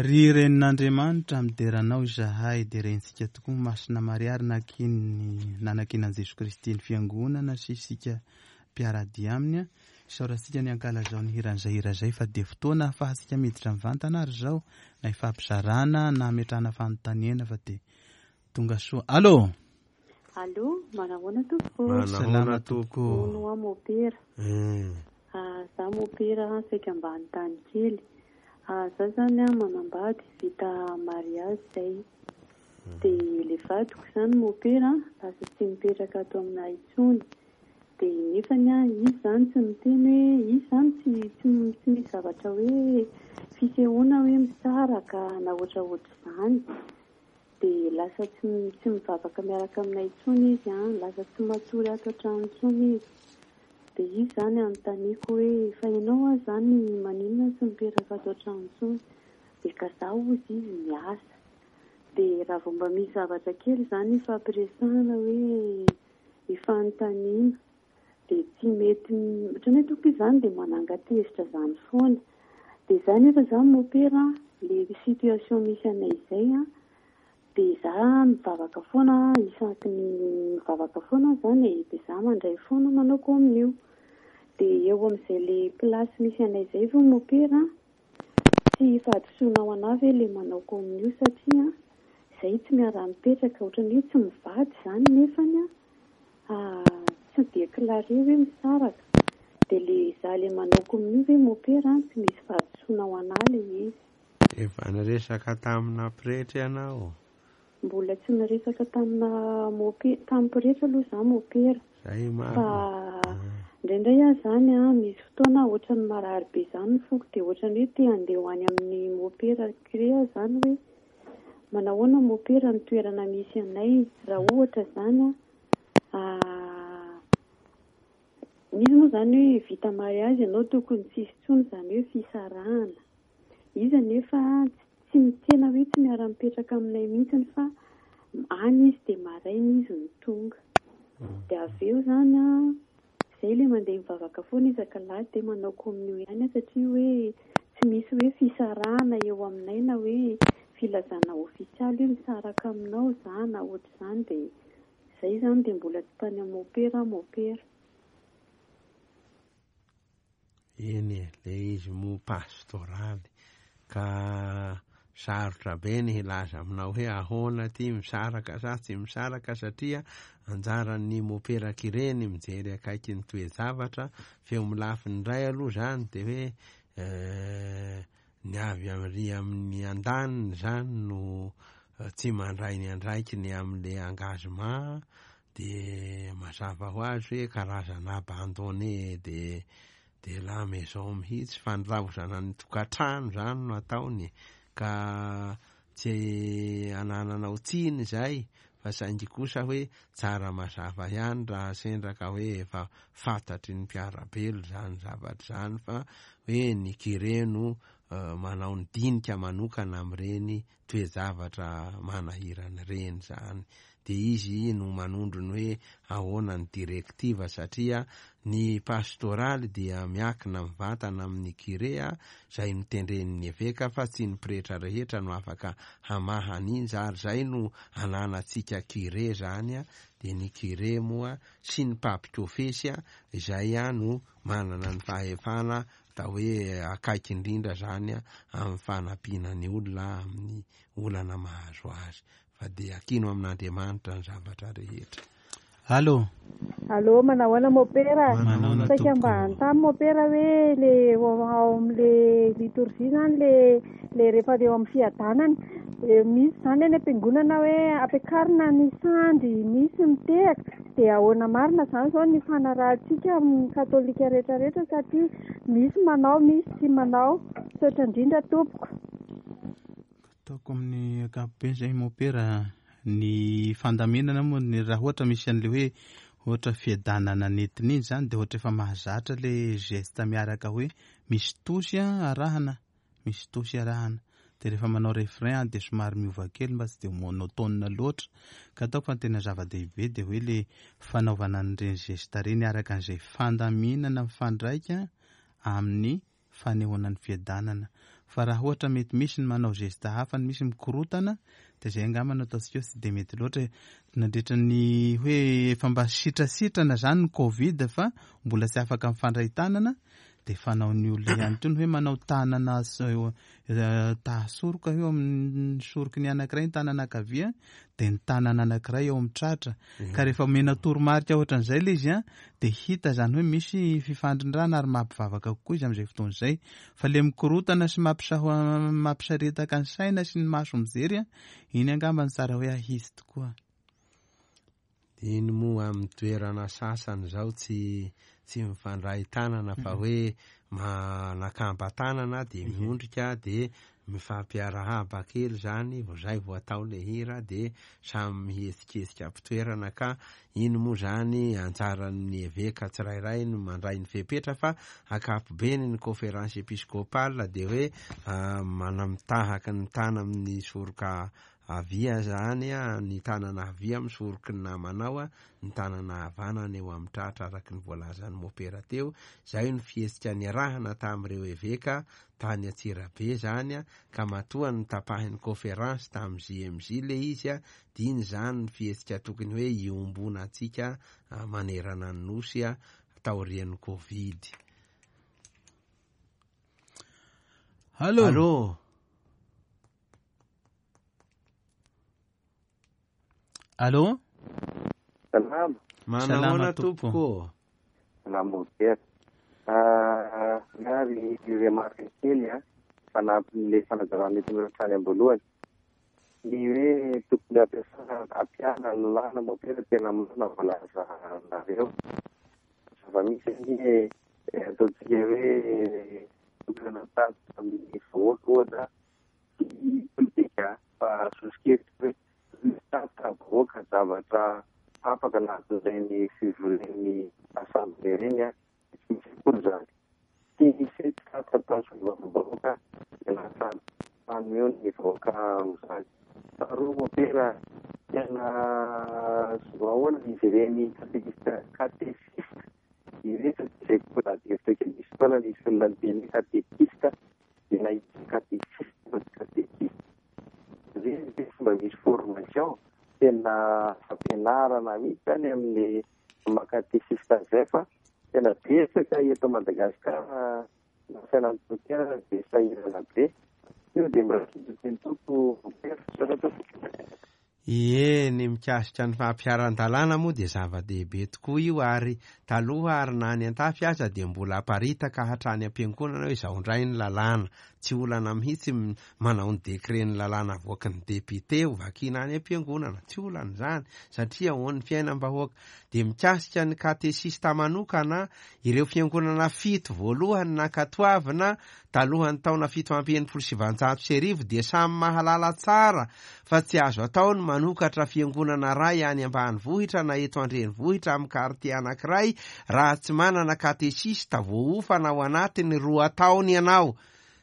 Ry Renin'Andriamanitra, midera anao izahay, derentsika tokoa Masina Maria ary nakin'ny nanakinan'i Jesoa Kristy ny Fiangonana sy isika mpiara-dia aminy. Isaorantsika ny ankalazao ny hiran'izay hira izay fa dia fotoana ahafahantsika miditra mivantana ary izao na ifampizarana na ametrahana fanontaniana fa dia tonga soa. Allô! Allô, manahoana tompoko? Manahoana tompoko? Hono hoa mopera. Ah, za mopera saika mba hanontany kely. Ah, za zany ah manambady vita mariage zay. De le vadiko zany mopera lasa tsy mipetraka ato aminay intsony. De nefany ah izy zany tsy miteny hoe izy zany tsy tsy tsy misy zavatra hoe fisehoana hoe misaraka na ohatraohatr'izany. Dia lasa tsy tsy mivavaka miaraka aminay intsony izy an, lasa tsy matory ato an-trano intsony izy. Dia izy izany anontaniako hoe fa ianao aza izany maninona tsy mipetraka ato an-trano intsony? Dia ka za hozy izy miasa. Dia raha vao mba misy zavatra kely izany ifampiresahana hoe ifanontaniana dia tsy mety ohatran'ny hoe tompoko izy izany dia mananga-tezitra izany foana. Dia za nefa izany mopera an, le situation misy anay izay an, dia za mivavaka foana isaky ny mivavaka foana aho izany e, dia za mandray foana manao communio. Dia eo amin'izay le place misy anay izay ve mopera an, tsy fahadisoana ho anah ve le manao communio satria izay tsy miara-mipetraka ohatran'ny hoe tsy mivady izany nefany an, Tsy dia clare hoe misaraka. Dia le za le manao communio ve mopera an, tsy misy fahadisoana ho anah le izy. Efa niresaka tamina pretra ianao? Mbola tsy niresaka tamina mope- tamin'ny pretra aloha za mopera. Zay marina. Fa indraindray aho zany an, misy fotoana ohatran'ny marary be zany ny foko dia ohatran'ny hoe te handeha ho any amin'ny mopera cure aho zany hoe Manahoana mopera ny toerana misy anay raha ohatra zany an misy moa zany hoe vita mariage ianao tokony tsisy intsony zany hoe fisarahana izy anefa tsy tena hoe tsy miara mipetraka aminay mihitsiny fa any izy dia maraina izy no tonga dia avy eo zany an zay le mandeha mivavaka foana isak'alahady dia manao communio ihany aho satria hoe. tsy misy hoe fisarahana eo aminay na hoe filazana ofisialy hoe misaraka aminao za na ohatr'izany dia izay izany dia mbola tsy tany amin'ny mopera aho mopera. Eny e, le izy moa pastoraly ka sarotra be ny hilaza aminao hoe ahoana ty misaraka sa tsy misaraka satria anjaran'ny mopera kire ny mijery akaiky ny toe-javatra fa eo amin'ny lafiny iray aloha zany de hoe ny avy ary amin'ny andaniny zany no tsy mandray ny andraikiny amin'le engagement de mazava ho azy hoe karazana abandonné de de la maison mihitsy, fandraozana ny tokantrano zany no ataony ka tsy anananao tsiny zay fa saingy kosa hoe tsara mazava ihany raha sendra ka hoe efa fantatry ny mpiara-belo zany zavatra zany fa hoe ny kire no manao ny dinika manokana amin'ireny toe-javatra manahirana ireny zany de izy no manondro ny hoe ahoana ny directive satria ny pastoraly dia miankina mivantana amin'ny kire zay notendren'ny eveka fa tsy ny pretra rehetra no afaka hamaha an'iny ary zay no ananantsika kire zany a de ny kire moa sy ny mpampikofesy a izay a no manana ny fahefana atao hoe akaiky indrindra zany a amin'ny fanampiana ny olona amin'ny olana mahazo azy fa dia akino amin'Andriamanitra ny zavatra rehetra. Allo. Allo, manahoana mopera? Manahoana Saika mba tompoko. hanontany mopera hoe le ao amin'le liturgie zany le le rehefa eo amin'ny fiadanana de misy zany any am-piangonana hoe ampiakarina ny sandry, misy mitehaka, de ahoana marina zany zao ny fanarahantsika amin'ny katolika rehetrarehetra satria misy manao, misy tsy manao. Misaotra indrindra tompoko. Ataoko amin'ny ankapobeny zay mopera ny fandaminana moa ny raha ohatra misy an'le hoe ohatra fiadanana nentina iny zany de ohatra efa mahazatra le geste miaraka hoe misy tosy arahana, misy tosy arahana de rehefa manao refrain de somary miova kely mba tsy de monotone loatra ka ataoko fa ny tena zava-dehibe de hoe le fanaovana an'ireny geste ireny araka an'izay fandaminana mifandraika amin'ny fanehoana ny fiadanana fa raha ohatra mety misy ny manao geste hafa ny misy mikorotana de zay angamba no ataontsika hoe tsy de mety loatra e. Nandritra ny hoe efa mba sitrasitrana zany ny covid fa mbola tsy afaka mifandray tanana de fanaon'ny olona ihany koa ny hoe manao tanana tahasoroka eo amin'ny soroky ny anankiray ny tanana ankavia de ny tanana anankiray eo amin'ny tratra ka rehefa omena toromarika ohatran'izay le izy a de hita zany hoe misy fifandrindrana ary mampivavaka kokoa izy amin'izay fotoana izay fa le mikorotana sy mampisaritaka ny saina sy ny maso mijery a iny angamba ny tsara hoe ahisy tokoa. Iny moa amin'ny toerana sasany zao tsy tsy mifandray tanana fa hoe manakamba-tanana de miondrika de mifampiarahaba kely zany vao zay vao atao le hira de samy mihetsiketsika am-pitoerana ka iny moa zany anjaran'ny eveka tsirairay no mandray ny fepetra fa ankapobeny ny conférence épiscopale de hoe manamitahaka ny tana amin'ny soroka havia zany a, ny tanana havia amin'ny soroky ny namanao a, ny tanana havanana eo amin'ny tratra araky ny voalazan'ny mopera teo. Zay no fihetsika niarahana tamin'ireo eveka tany Antsirabe zany a, ka matoa ny tapahin'ny conférence tamin'ny JMJ le izy a, de iny zany ny fihetsika tokony hoe iombonantsika manerana ny nosy a taorian'ny Covid. Allo. Allo. Allo. Salama. Manahoana tompoko? Salama mopera. Ary remarque kely a, fanampin'le fanazavana nentinareo hatrany am-boalohany. Ny hoe tokony ampiasana ampiana ny lalàna mopera tena marina voalazanareo. Zava-misy anie ataontsika hoe tokony hanatatra amin'ny vahoaka ohatra tsy politika fa soso-kevitra hoe mitatitra vahoaka zavatra tapaka anatin'ireny fivorian'ny assemblée ireny a, tsy misy akory zany. Tsy misy hoe tatitra ataon'ny solombavambahoaka dia lasa fanomeo ny vahoaka amin'izany. Faharoa mopera tena ahoana izy ireny katekista katesista ireto tsy haiko koa na dia hevitra kely misy fotoana nisy olona niteny hoe katekista dia nahita katesista fa tsy katesista. Ireny ve tsy mba misy formation tena fampianarana mihitsy zany amin'ny maha katesista an'izay fa tena betsaka eto Madagasikara na fiainan'ny mpitera dia sahirana be. Io dia mba teny tompo mopera. Misaotra tompoko. Ie, ny mikasika ny fampiharan-dalàna moa dia zava-dehibe tokoa io ary taloha ary na any an-tafy aza dia mbola aparitaka hatrany am-piangonana hoe izao indray ny lalàna. Tsy olana mihitsy manao ny décret ny lalàna avoaky ny député ho vakiana any am-piangonana. Tsy olana izany satria ahoan'ny fiainam-bahoaka. Dia mikasika ny katesista manokana, ireo fiangonana fito voalohany nankatoavina Talohan'ny taona 1967 dia samy mahalala tsara fa tsy azo atao ny manokatra fiangonana iray any ambanivohitra na eto an-drenivohitra amin'ny kartie anankiray raha tsy manana katesista voaofana ao anatin'ny roa taona ianao.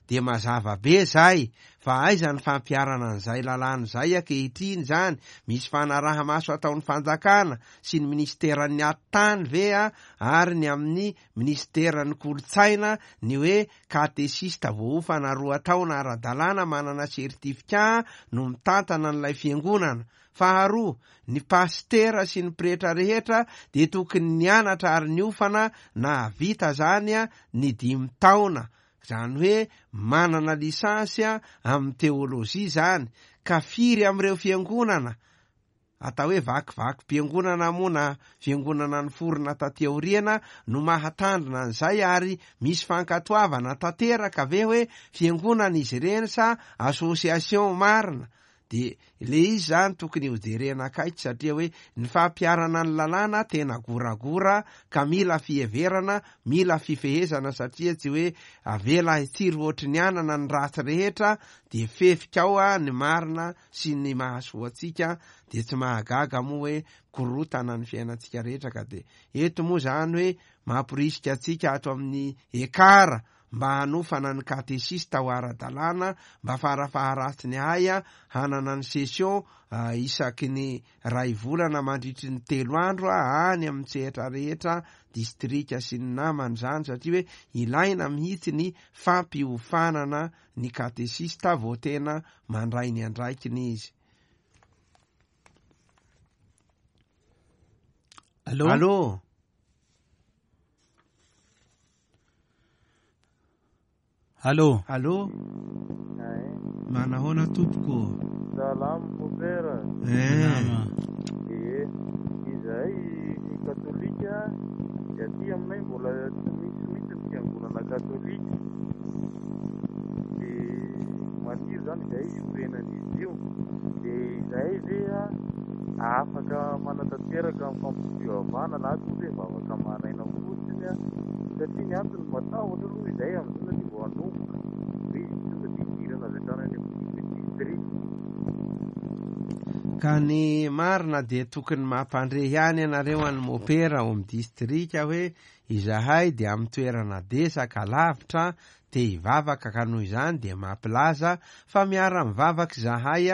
Dia mazava be izay fa aiza ny fampiharana an'izay lalàna izay ankehitriny izany? Misy fanaraha-maso ataon'ny fanjakana sy ny minisiteran'ny atitany ve ary ny amin'ny Minisiteran'ny Kolontsaina ny hoe katesista voaofana roa taona ara-dalàna manana sertifika no mitantana an'ilay fiangonana. Faharoa, ny pasitera sy ny pretra rehetra dia tokony nianatra ary niofana nahavita izany ny dimy taona, izany hoe manana licence amin'ny teolojia izany, ka firy amin'ireo fiangonana Atao hoe vakivakim-piangonana moa na fiangonana niforona taty aoriana no mahatandrina an'izay ary misy fankatoavana tanteraka ve hoe fiangonana izy ireny sa association marina? De le izy zany tokony hojerena akaiky satria hoe ny fampiharana ny lalàna tena goragora ka mila fiheverana, mila fifehezana satria tsy hoe avela hitsiry ohatry ny anana ny ratsy rehetra de fefika ao ny marina sy ny mahasoa antsika dia tsy mahagaga moa hoe korotana ny fiainantsika rehetra ka dia eto moa izany hoe mamporisika antsika ato amin'ny ekara mba hanofana ny katesista ho ara-dalàna mba farafaharatsiny ahay hanana ny session isaky ny ray volana mandritry ny telo andro any amin'ny sehatra rehetra distrika sy ny namany izany satria hoe ilaina mihitsy ny fampiofanana ny katesista vao tena mandray ny andraikiny izy. Allô? Allô? Allô? Allô? Manahoana tompoko? Salama mopera. Eh. Salama. Ee, izahay katolika dia aty aminay mbola tsy misy mihitsy ny fiangonana katolika. Dia maniry izany izahay hiorenan'izy io. Dia izahay ve afaka manatanteraka ny fampivavahana na koa hoe vavaka maraina fotsiny satria ny antony matahotra aloha izahay amin'izao satria vao hanomboka hoe izy tonga dia hidirana avy hatrany any amin'ny district. Ka ny marina dia tokony mampandre ihany ianareo an'i Mopera ao amin'ny distrika hoe izahay dia amin'ny toerana desaka lavitra te hivavaka ka noho izany dia mampilaza fa miara-mivavaka izahay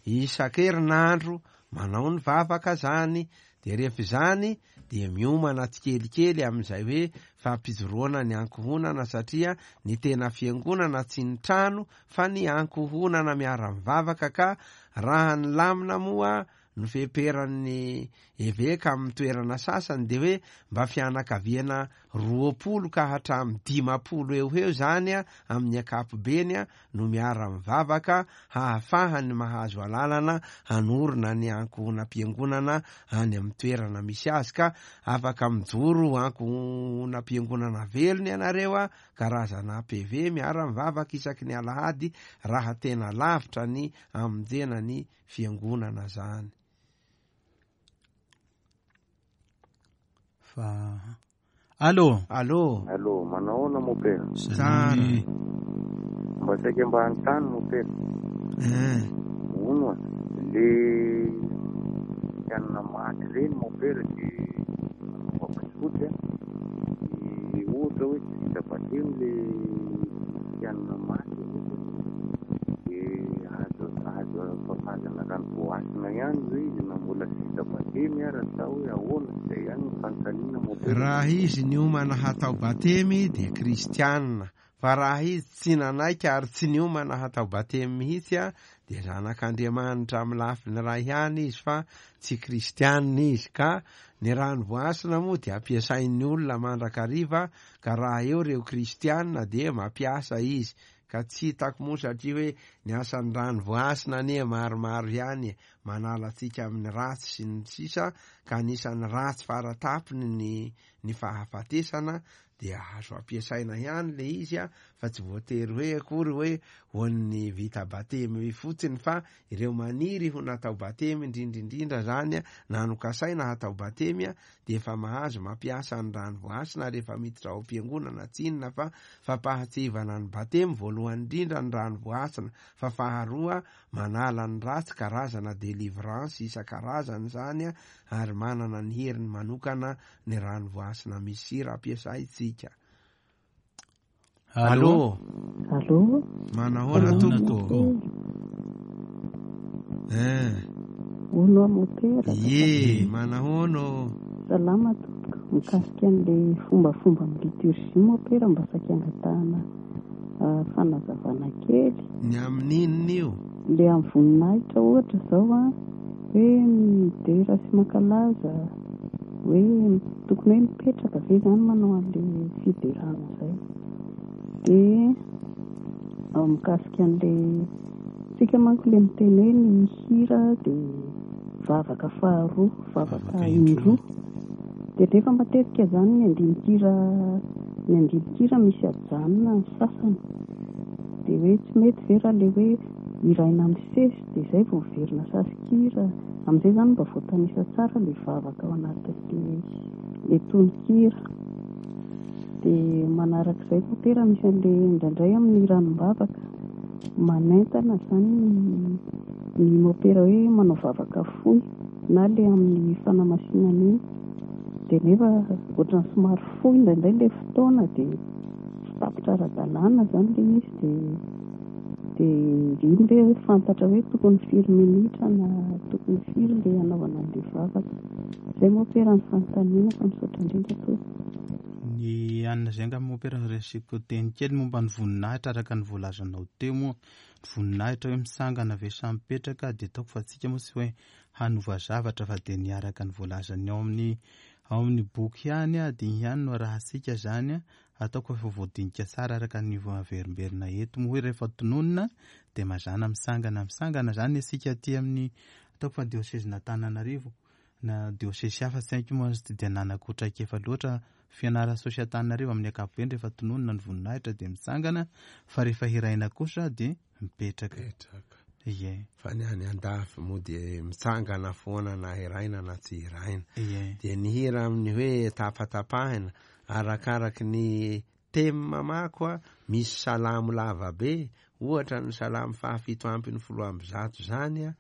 isan-kerinandro manao ny vavaka zany dia rehefa izany dia miomana tsikelikely amin'izay hoe fampijoroana ny ankohonana satria ny tena fiangonana tsy ny trano fa ny ankohonana miara-mivavaka ka raha ny lamina moa no feperan'ny eveka amin'ny toerana sasany dia hoe mba fianakaviana 20 ka hatramin'ny 50 eo ho eo izany amin'ny ankapobeny no miara-mivavaka hahafahany mahazo alalana hanorina ny ankohonam-piangonana any amin'ny toerana misy azy ka afaka mijoro ho ankohonam-piangonana velona ianareo karazana PV miara-mivavaka isaky ny alahady raha tena lavitra ny hamonjena ny fiangonana zany. Fa Allô. Allô. Allô, manao ahoana mopera? Tsara. Mba saika mba hanontany mopera. Eh. Hono a, le kristianina maty ireny mopera de fomba tsotra de ohatra hoe tsy vita batemy le kristianina maty ohatra de azo azo fafazana rano voahasina ihany ve izy na mbola tsy vita batemy ara sa hoe ahoana? Zay ihany no fanontaniana mopera. Raha izy niomana hatao batemy dia kristianina. Fa raha izy tsy nanaiky ary tsy niomana hatao batemy mihitsy dia zanak'Andriamanitra amin'ny lafiny iray ihany izy fa tsy kristianina izy ka ny rano voasina moa dia ampiasain'ny olona mandrakariva ka raha eo ireo kristianina dia mampiasa izy ka tsy hitako moa satria hoe ny asan'ny rano voasina anie maromaro ihany e, manala antsika amin'ny ratsy sy ny sisa ka anisan'ny ratsy faratapony ny ny fahafatesana dia azo ampiasaina ihany le izy a, fa tsy voatery hoe akory hoe ho an'ny vita batemy fotsiny fa ireo maniry ho natao batemy indrindra indrindra zany a, na nokasaina hatao batemy a, dia efa mahazo mampiasa ny rano voasina rehefa miditra ao am-piangonana, tsy inona fa fampahatsiahivana ny batemy voalohany indrindra ny rano voasina, fa faharoa manala ny ratsy, karazana delivrance isan-karazany izany a, ary manana ny heriny manokana ny rano voasina misy sira ampiasaintsika. Allô. Allô. Manahoana tompoko? Eh. Hono aho mopera. Ie, manahoana ô? Salama tompoko. Mikasika an'ilay fombafomba amin'ny liturgie mopera mba saika angatahana ah, fanazavana kely. Ny amin'inona io? Ilay amin'ny voninahitra ohatra izao an, hoe midera sy mankalaza hoe tokony hoe mipetraka ve izany manao an'ilay fiderana izay. Dia mikasika an'ilay, tsika manko ilay miteny hoe ny hira dia vavaka faharoa, vavaka indroa. Dia nefa matetika izany ny andinin-kira, ny andinin-kira misy ajanona ny sasany. Dia hoe tsy mety ve raha ilay hoe hiraina misesy dia izay vao miverina sasin-kira. Amin'izay izany mba voatanisa tsara ilay vavaka ao anatin'ilay ilay tononkira. Dia manarak'izay mompera misy an'ilay indraindray amin'ny ranombavaka manentana izany ny ny mompera hoe manao vavaka fohy na ilay amin'ny fanamasinana iny. Dia nefa ohatran'ny somary fohy indraindray ilay fotoana dia tsy tapitra ara-dalàna izany ilay izy dia Dia iny ve hoe fantatra hoe tokony firy minitra na tokony firy ilay hanaovana an'ilay vavaka. Izay mompera ny fanontaniana fa misaotra indrindra tompoko. Ny anona izay angamba mompera resiko teny kely momba ny voninahitra araka ny voalazanao teo moa. Ny voninahitra hoe misangana ve sa mipetraka dia ataoko fa tsika moa tsy hoe hanova zavatra fa dia ny araka ny voalazan'ny ao amin'ny ao amin'ny boky ihany dia iny ihany no arahantsika izany Ataoko efa voadinika tsara araka ny averimberina eto moa hoe rehefa tononina dia mazàna misangana misangana izany isika aty amin'ny ataoko fa diosezin'Antananarivo na diosesy hafa tsy haiko moa tsy dia nanako traikefa loatra fianarantsoa sy Antananarivo amin'ny ankapobeny rehefa tononina ny voninahitra dia mitsangana fa rehefa hiraina kosa dia mipetraka. Mipetraka. Ie. Fa ny any andafy moa dia mitsangana foana na hiraina na tsy hiraina. Ie. Dia ny hira amin'ny hoe tapatapahina arakaraky ny thème mako a, misy salamo lava be, ohatra ny salamo fahafito ampin'ny folo amby zato zany a,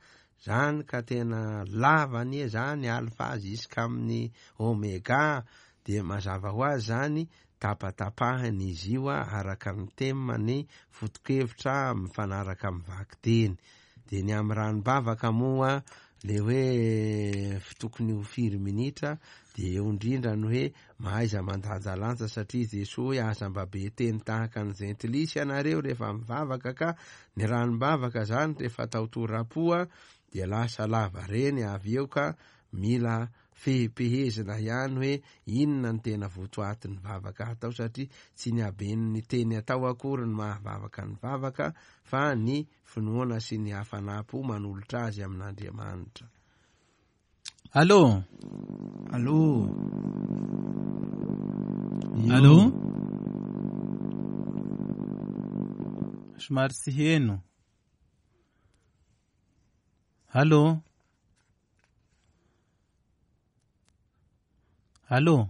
zany ka tena lava anie zany, alpha jusqu'amin'ny omega, dia mazava ho azy zany Tapatapahina izy io araka ny thème ny foto-kevitra mifanaraka amin'ny vakiteny. Dia ny amin'ny ranom-bavaka moa le hoe tokony ho firy minitra dia eo indrindra ny hoe mahaiza mandanjalanja satria Jesoa hoe aza mba be teny tahaka ny jentilisa ianareo rehefa mivavaka ka ny ranom-bavaka zany rehefa atao tora-po dia lasa lava reny avy eo ka mila Fehipehezina ihany hoe inona no tena votoatin'ny vavaka atao satria tsy ny haben'ny teny atao akory no mahavavaka ny vavaka fa ny finoana sy ny hafanam-po manolotra azy amin'Andriamanitra. Allô? Allô? Allô? Somary tsy heno. Allô? Allô?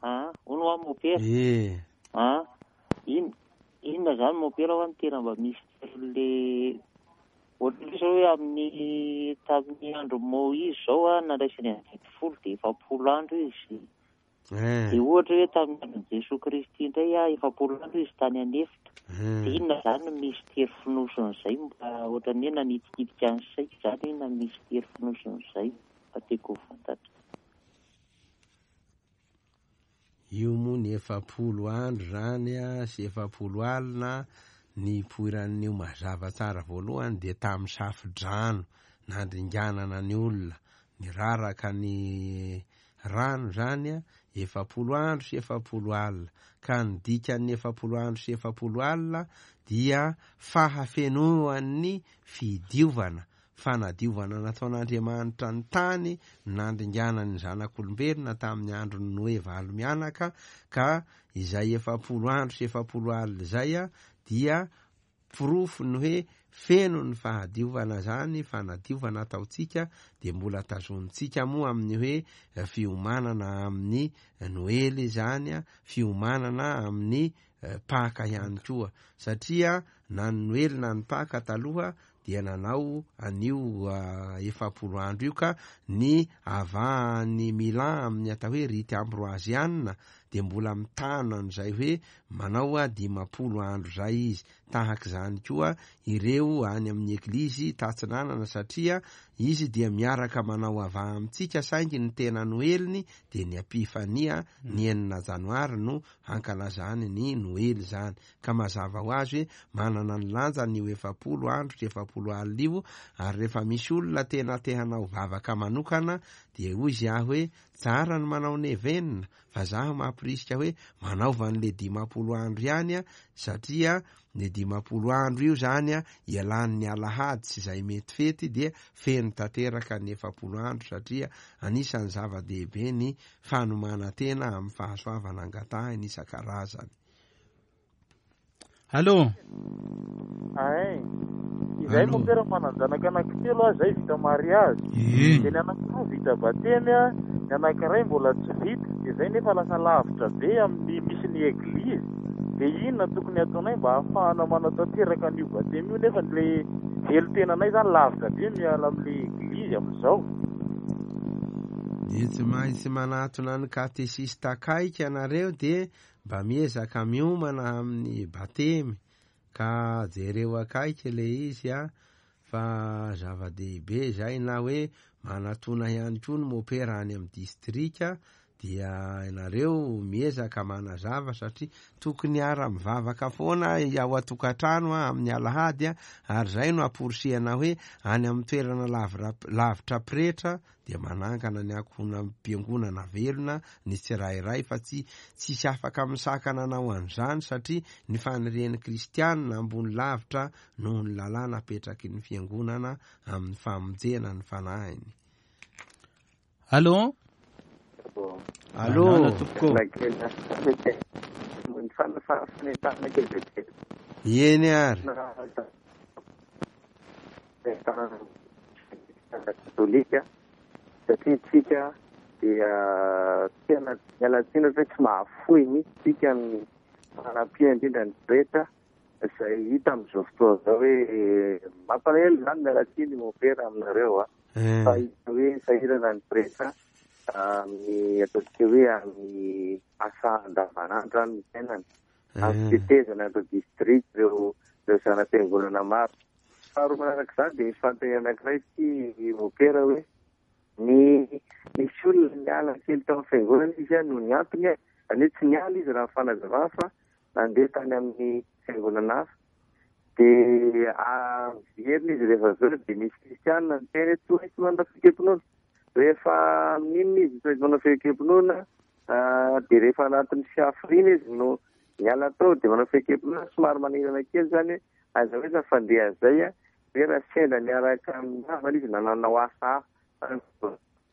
Ah, hono hoa mopera. Eh. Ah, in, inona zany mopera hoa no tena mba misy le ohatran'ny zao hoe amin'ny tamin'ny andro Moizy zao a nandraisany ny didy folo dia 40 andro izy. Eh. Dia ohatra hoe tamin'ny andron'i Jesoa Kristy indray a 40 andro izy tany an'efitra. Eh. Dia inona zany no mistery fonosin'izay mba ohatran'ny hoe nanitikitika ny saiko zany hoe inona no mistery fonosin'izay fa tiako ho fantatra. Io moa ny 40 andro izany sy 40 alina nipoiran'io mazava tsara voalohany dia tamin'ny safo-drano nandringanana ny olona, niraraka ny rano izany 40 andro sy 40 alina, ka ny dikan'ny 40 andro sy 40 alina dia fahafenoan'ny fidiovana, fanadiovana nataon'Andriamanitra ny tany nandringanany ny zanak'olombelona tamin'ny andron'i Noe valo mianaka, ka izay 40 andro sy 40 alina izay dia porofo ny hoe feno ny fahadiovana izany fanadiovana ataontsika dia mbola tazonintsika moa amin'ny hoe fiomanana amin'ny Noely izany, fiomanana amin'ny Paka ihany koa, satria na ny Noely na ny Paka taloha dia nanao an'io 40 andro io ka ny avahan'ny Milan amin'ny atao hoe rite ambroaziana dia mbola mitana an'izay hoe manao 50 andro izay izy. Tahaka izany koa ireo any amin'ny eglizy tatsinanana satria izy dia miaraka manao avaha amintsika saingy ny tena Noeliny dia ny Epifania ny 6 janoary no hankalazany ny Noely izany. Ka mazava ho azy hoe manana ny lanjany io 40 andro sy 40 alina io, ary rehefa misy olona tena te hanao vavaka manokana dia hoy izy ahy hoe tsara ny manao nevenina fa zaho mampirisika hoe manaova an'le 50 andro ihany satria ny 50 andro io zany ialan'ny alahady sy izay mety fety dia feno tanteraka ny 40 andro satria anisan'ny zava-dehibe ny fanomanan-tena amin'ny fahasoavana angatahiny isan-karazany. Allô? Ain. Izay Allô? mompera manan-janaka anankitelo aho izay vita mariazy. Ie. Dia ny anankiroa vita batemy a, ny anankiray mbola tsy vita. Dia izay nefa lasa lavitra be amin'ny misy ny eglizy. Dia inona tokony hataonay mba hahafahana manatanteraka an'io batemy io nefa le velon-tenanay izany lavitra be miala amin'ilay eglizy amin'izao. Dia tsy maintsy manatona ny katesista akaiky ianareo dia mba miezaka miomana amin'ny batemy ka jereo akaiky le izy a fa zava-dehibe izay na hoe manatona ihany koa ny mopera any amin'ny distrika dia ianareo miezaka manazava satria tokony hiara-mivavaka foana ao an-tokantrano amin'ny alahady ary izay no amporisihana hoe any amin'ny toerana lavitra pretra dia manangana ny ankohonam-piangonana velona ny tsirairay fa tsy tsisy afaka misakana anao an'izany satria ny fanirian'ny kristianina ambony lavitra noho ny lalàna apetraky ny fiangonana amin'ny famonjena ny fanahiny. Allô? Allô? Manana tompoko. Eny ary. Katolika satria tsika dia tena miala tsiny ohatra hoe tsy mahafoy mihitsy tsika amin'ny fanampiana indrindra ny pretra izay hita amin'izao fotoana izao hoe mampalahelo izany miala tsiny mompera aminareo a fa hita hoe sahirana ny pretra amin'ny ataontsika hoe amin'ny asa andavanandro any ny fiainana amin'ny fitetezana ireo district ireo ireo zana-piangonana maro. Faharoa manaraka izany dia misy fanontaniana anankiray ity mopera hoe ny nisy olona niala kely tao amin'ny fiangonana izy noho ny antony izany hoe tsy niala izy raha ny fanazavana fa nandeha tany amin'ny fiangonana hafa dia miverina izy rehefa avy eo dia nisy kristianina niteny hoe tsy maintsy manao fiekem-pinoana. Rehefa amin'inona izy tsy maintsy manao fiekem-pinoana dia rehefa anatin'ny fiafiriana izy no miala tao dia manao fiekem-pinoana somary manahirana kely izany hoe aiza ho aiza ny fandehan'izay hoe raha sendra niaraka amin'ny havana izy na nanao asa hafa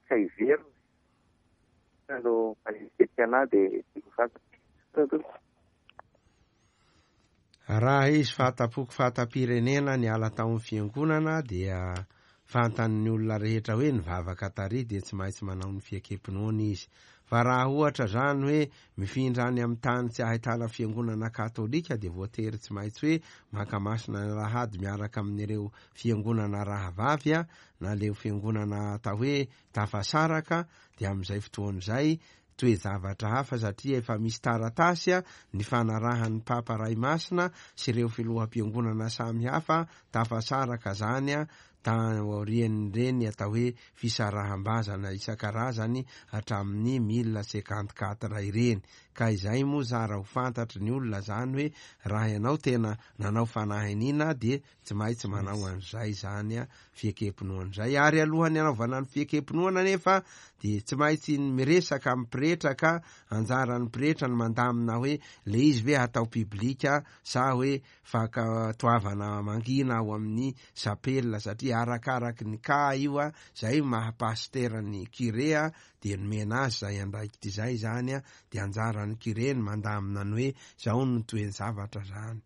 ka hiverina no manenjika anahy dia tiako ho fantatra. Raha izy fahatampoko fahatam-pirenena niala tao amin'ny fiangonana dia fantan'ny olona rehetra hoe nivavaka tary dia tsy maintsy manao ny fiekem-pinoana izy. Fa raha ohatra izany hoe mifindra any amin'ny tany tsy ahitana fiangonana katolika dia voatery tsy maintsy hoe mankamasina ny alahady miaraka amin'ireo fiangonana rahavavy na leo fiangonana atao hoe tafasaraka dia amin'izay fotoana izay toe-javatra hafa satria efa misy taratasy nifanarahan'ny Papa Ray Masina sy ireo filoham-piangonana samy hafa tafasaraka zany. taorian'ireny atao hoe fisaraham-bazana isan-karazany hatramin'ny 1054 ireny. Ka izay moa zara ho fantatry ny olona zany hoe raha ianao tena nanao fanahiniana dia tsy maintsy manao an'izay izany fiekem-pinoana izay. Ary alohan'ny hanaovana ny fiekem-pinoana anefa dia tsy maintsy miresaka amin'ny pretra ka anjaran'ny pretra ny mandamina hoe le izy ve hatao piblika sa hoe fankatoavana mangina ao amin'ny chapelle satria arakaraky ny cas io izay maha pasitera ny curé dia nomena azy izay andraikitra izay izany dia anjaran'ny curé ny mandamina ny hoe izao no toe-javatra izany.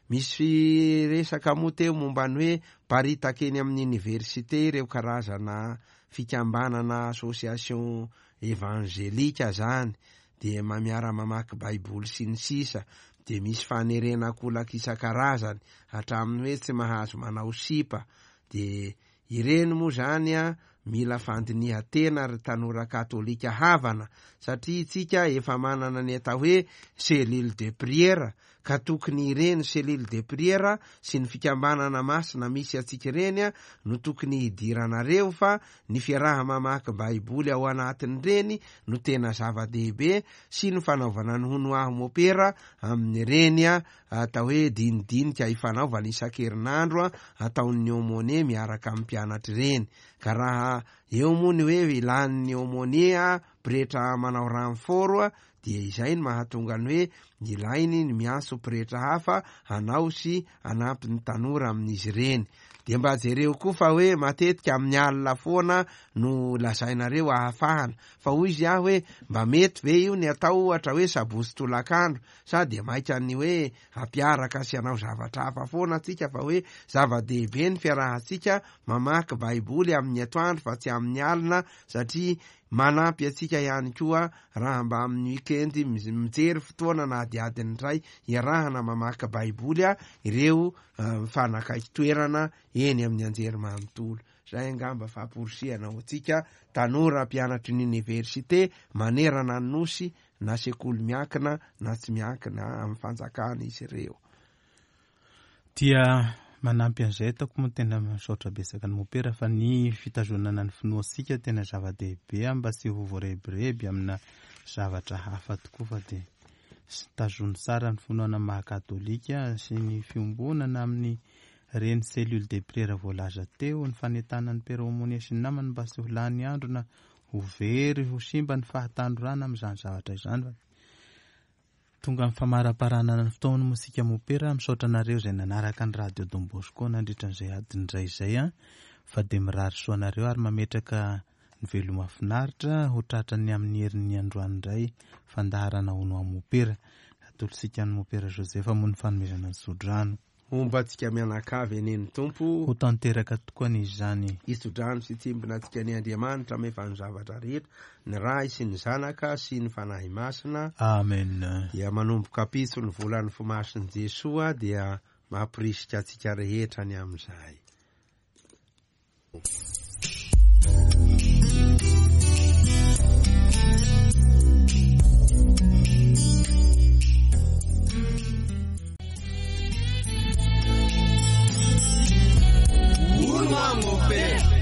Misy resaka moa teo momba ny hoe miparitaka eny amin'ny oniversite ireo karazana fikambanana association evangelika zany dia miara-mamaky baiboly sy ny sisa dia misy fanerena ankolaka isan-karazany hatramin'ny hoe tsy mahazo manao sipa dia Ireny moa izany an, mila fandinihan-tena ry tanora katolika havana, satria itsika efa manana ny atao hoe cellule de prière, ka tokony ireny cellule de prière sy ny fikambanana masina misy antsika ireny an, no tokony hidiranareo fa ny fiaraha-mamaky baiboly ao anatin'ireny no tena zava-dehibe sy ny fanaovana ny hono aho mopera amin'ireny an, atao hoe dinidinika ifanaovana isan-kerinandro ataon'ny aumônier miaraka amin'ny mpianatra ireny. Ka raha eo moa ny hoe ilàn'ny aumônier pretra manao renfort dia izay no mahatonga ny hoe ilainy ny miantso pretra hafa hanao sy hanampy ny tanora amin'izy ireny. Dia mba jereo koa fa hoe matetika amin'ny alina foana no lazainareo ahafahana. Fa hoy izy aho hoe mba mety ve io ny atao ohatra hoe sabotsy tolakandro Sa dia maika ny hoe hampiaraka sy hanao zavatra hafa foana tsika fa hoe zava-dehibe ny fiarahantsika mamaky baiboly amin'ny atoandro fa tsy amin'ny alina satria manampy antsika ihany koa raha mba amin'ny week-end mijery fotoana na adiadiny iray iarahana mamaky baiboly ireo mifanakaiky toerana eny amin'ny anjerimanontolo. Izay angamba famporisihana ho antsika tanora mpianatry ny oniversite manerana ny Nosy na sekoly miankina na tsy miankina amin'ny fanjakana izy ireo. Dia manampy an'izay ataoko moa tena misaotra betsaka ny mopera fa ny fitazonana ny finoantsika tena zava-dehibe mba tsy ho voarebireby amina zavatra hafa tokoa fa dia tazony tsara ny finoana maha katolika sy ny fiombonana amin'ny reny cellule de prière voalaza teo, ny fanentanan'ny Père Aumônier sy ny namany mba tsy ho lany andro na Ho very, ho simba ny fahatanorana amin'izany zavatra izany fa tonga amin'ny famaraparanana ny fotoana moa isika mopera, misaotra anareo izay nanaraka ny radio Don Bosco nandritra an'izay adiny iray izay an, fa dia mirary soa anareo ary mametraka ny veloma finaritra ho tratran'ny amin'ny herin'ny androany indray fandaharana hono aho mopera. Atolotsika an'i mopera Joseph moa ny fanomezana ny tsodrano. Homba antsika mianakavy anie ny Tompo. Ho tanteraka tokoa anie izany. Hitso-drano sy hitsimbina antsika anie Andriamanitra mahefa ny zavatra rehetra, ny Ray sy ny Zanaka sy ny Fanahy Masina. Amen. Dia manomboka ampitso ny volan'ny Fo Masin'i Jesoa dia mamporisika antsika rehetra ny amin'izay. Hono aho mopera.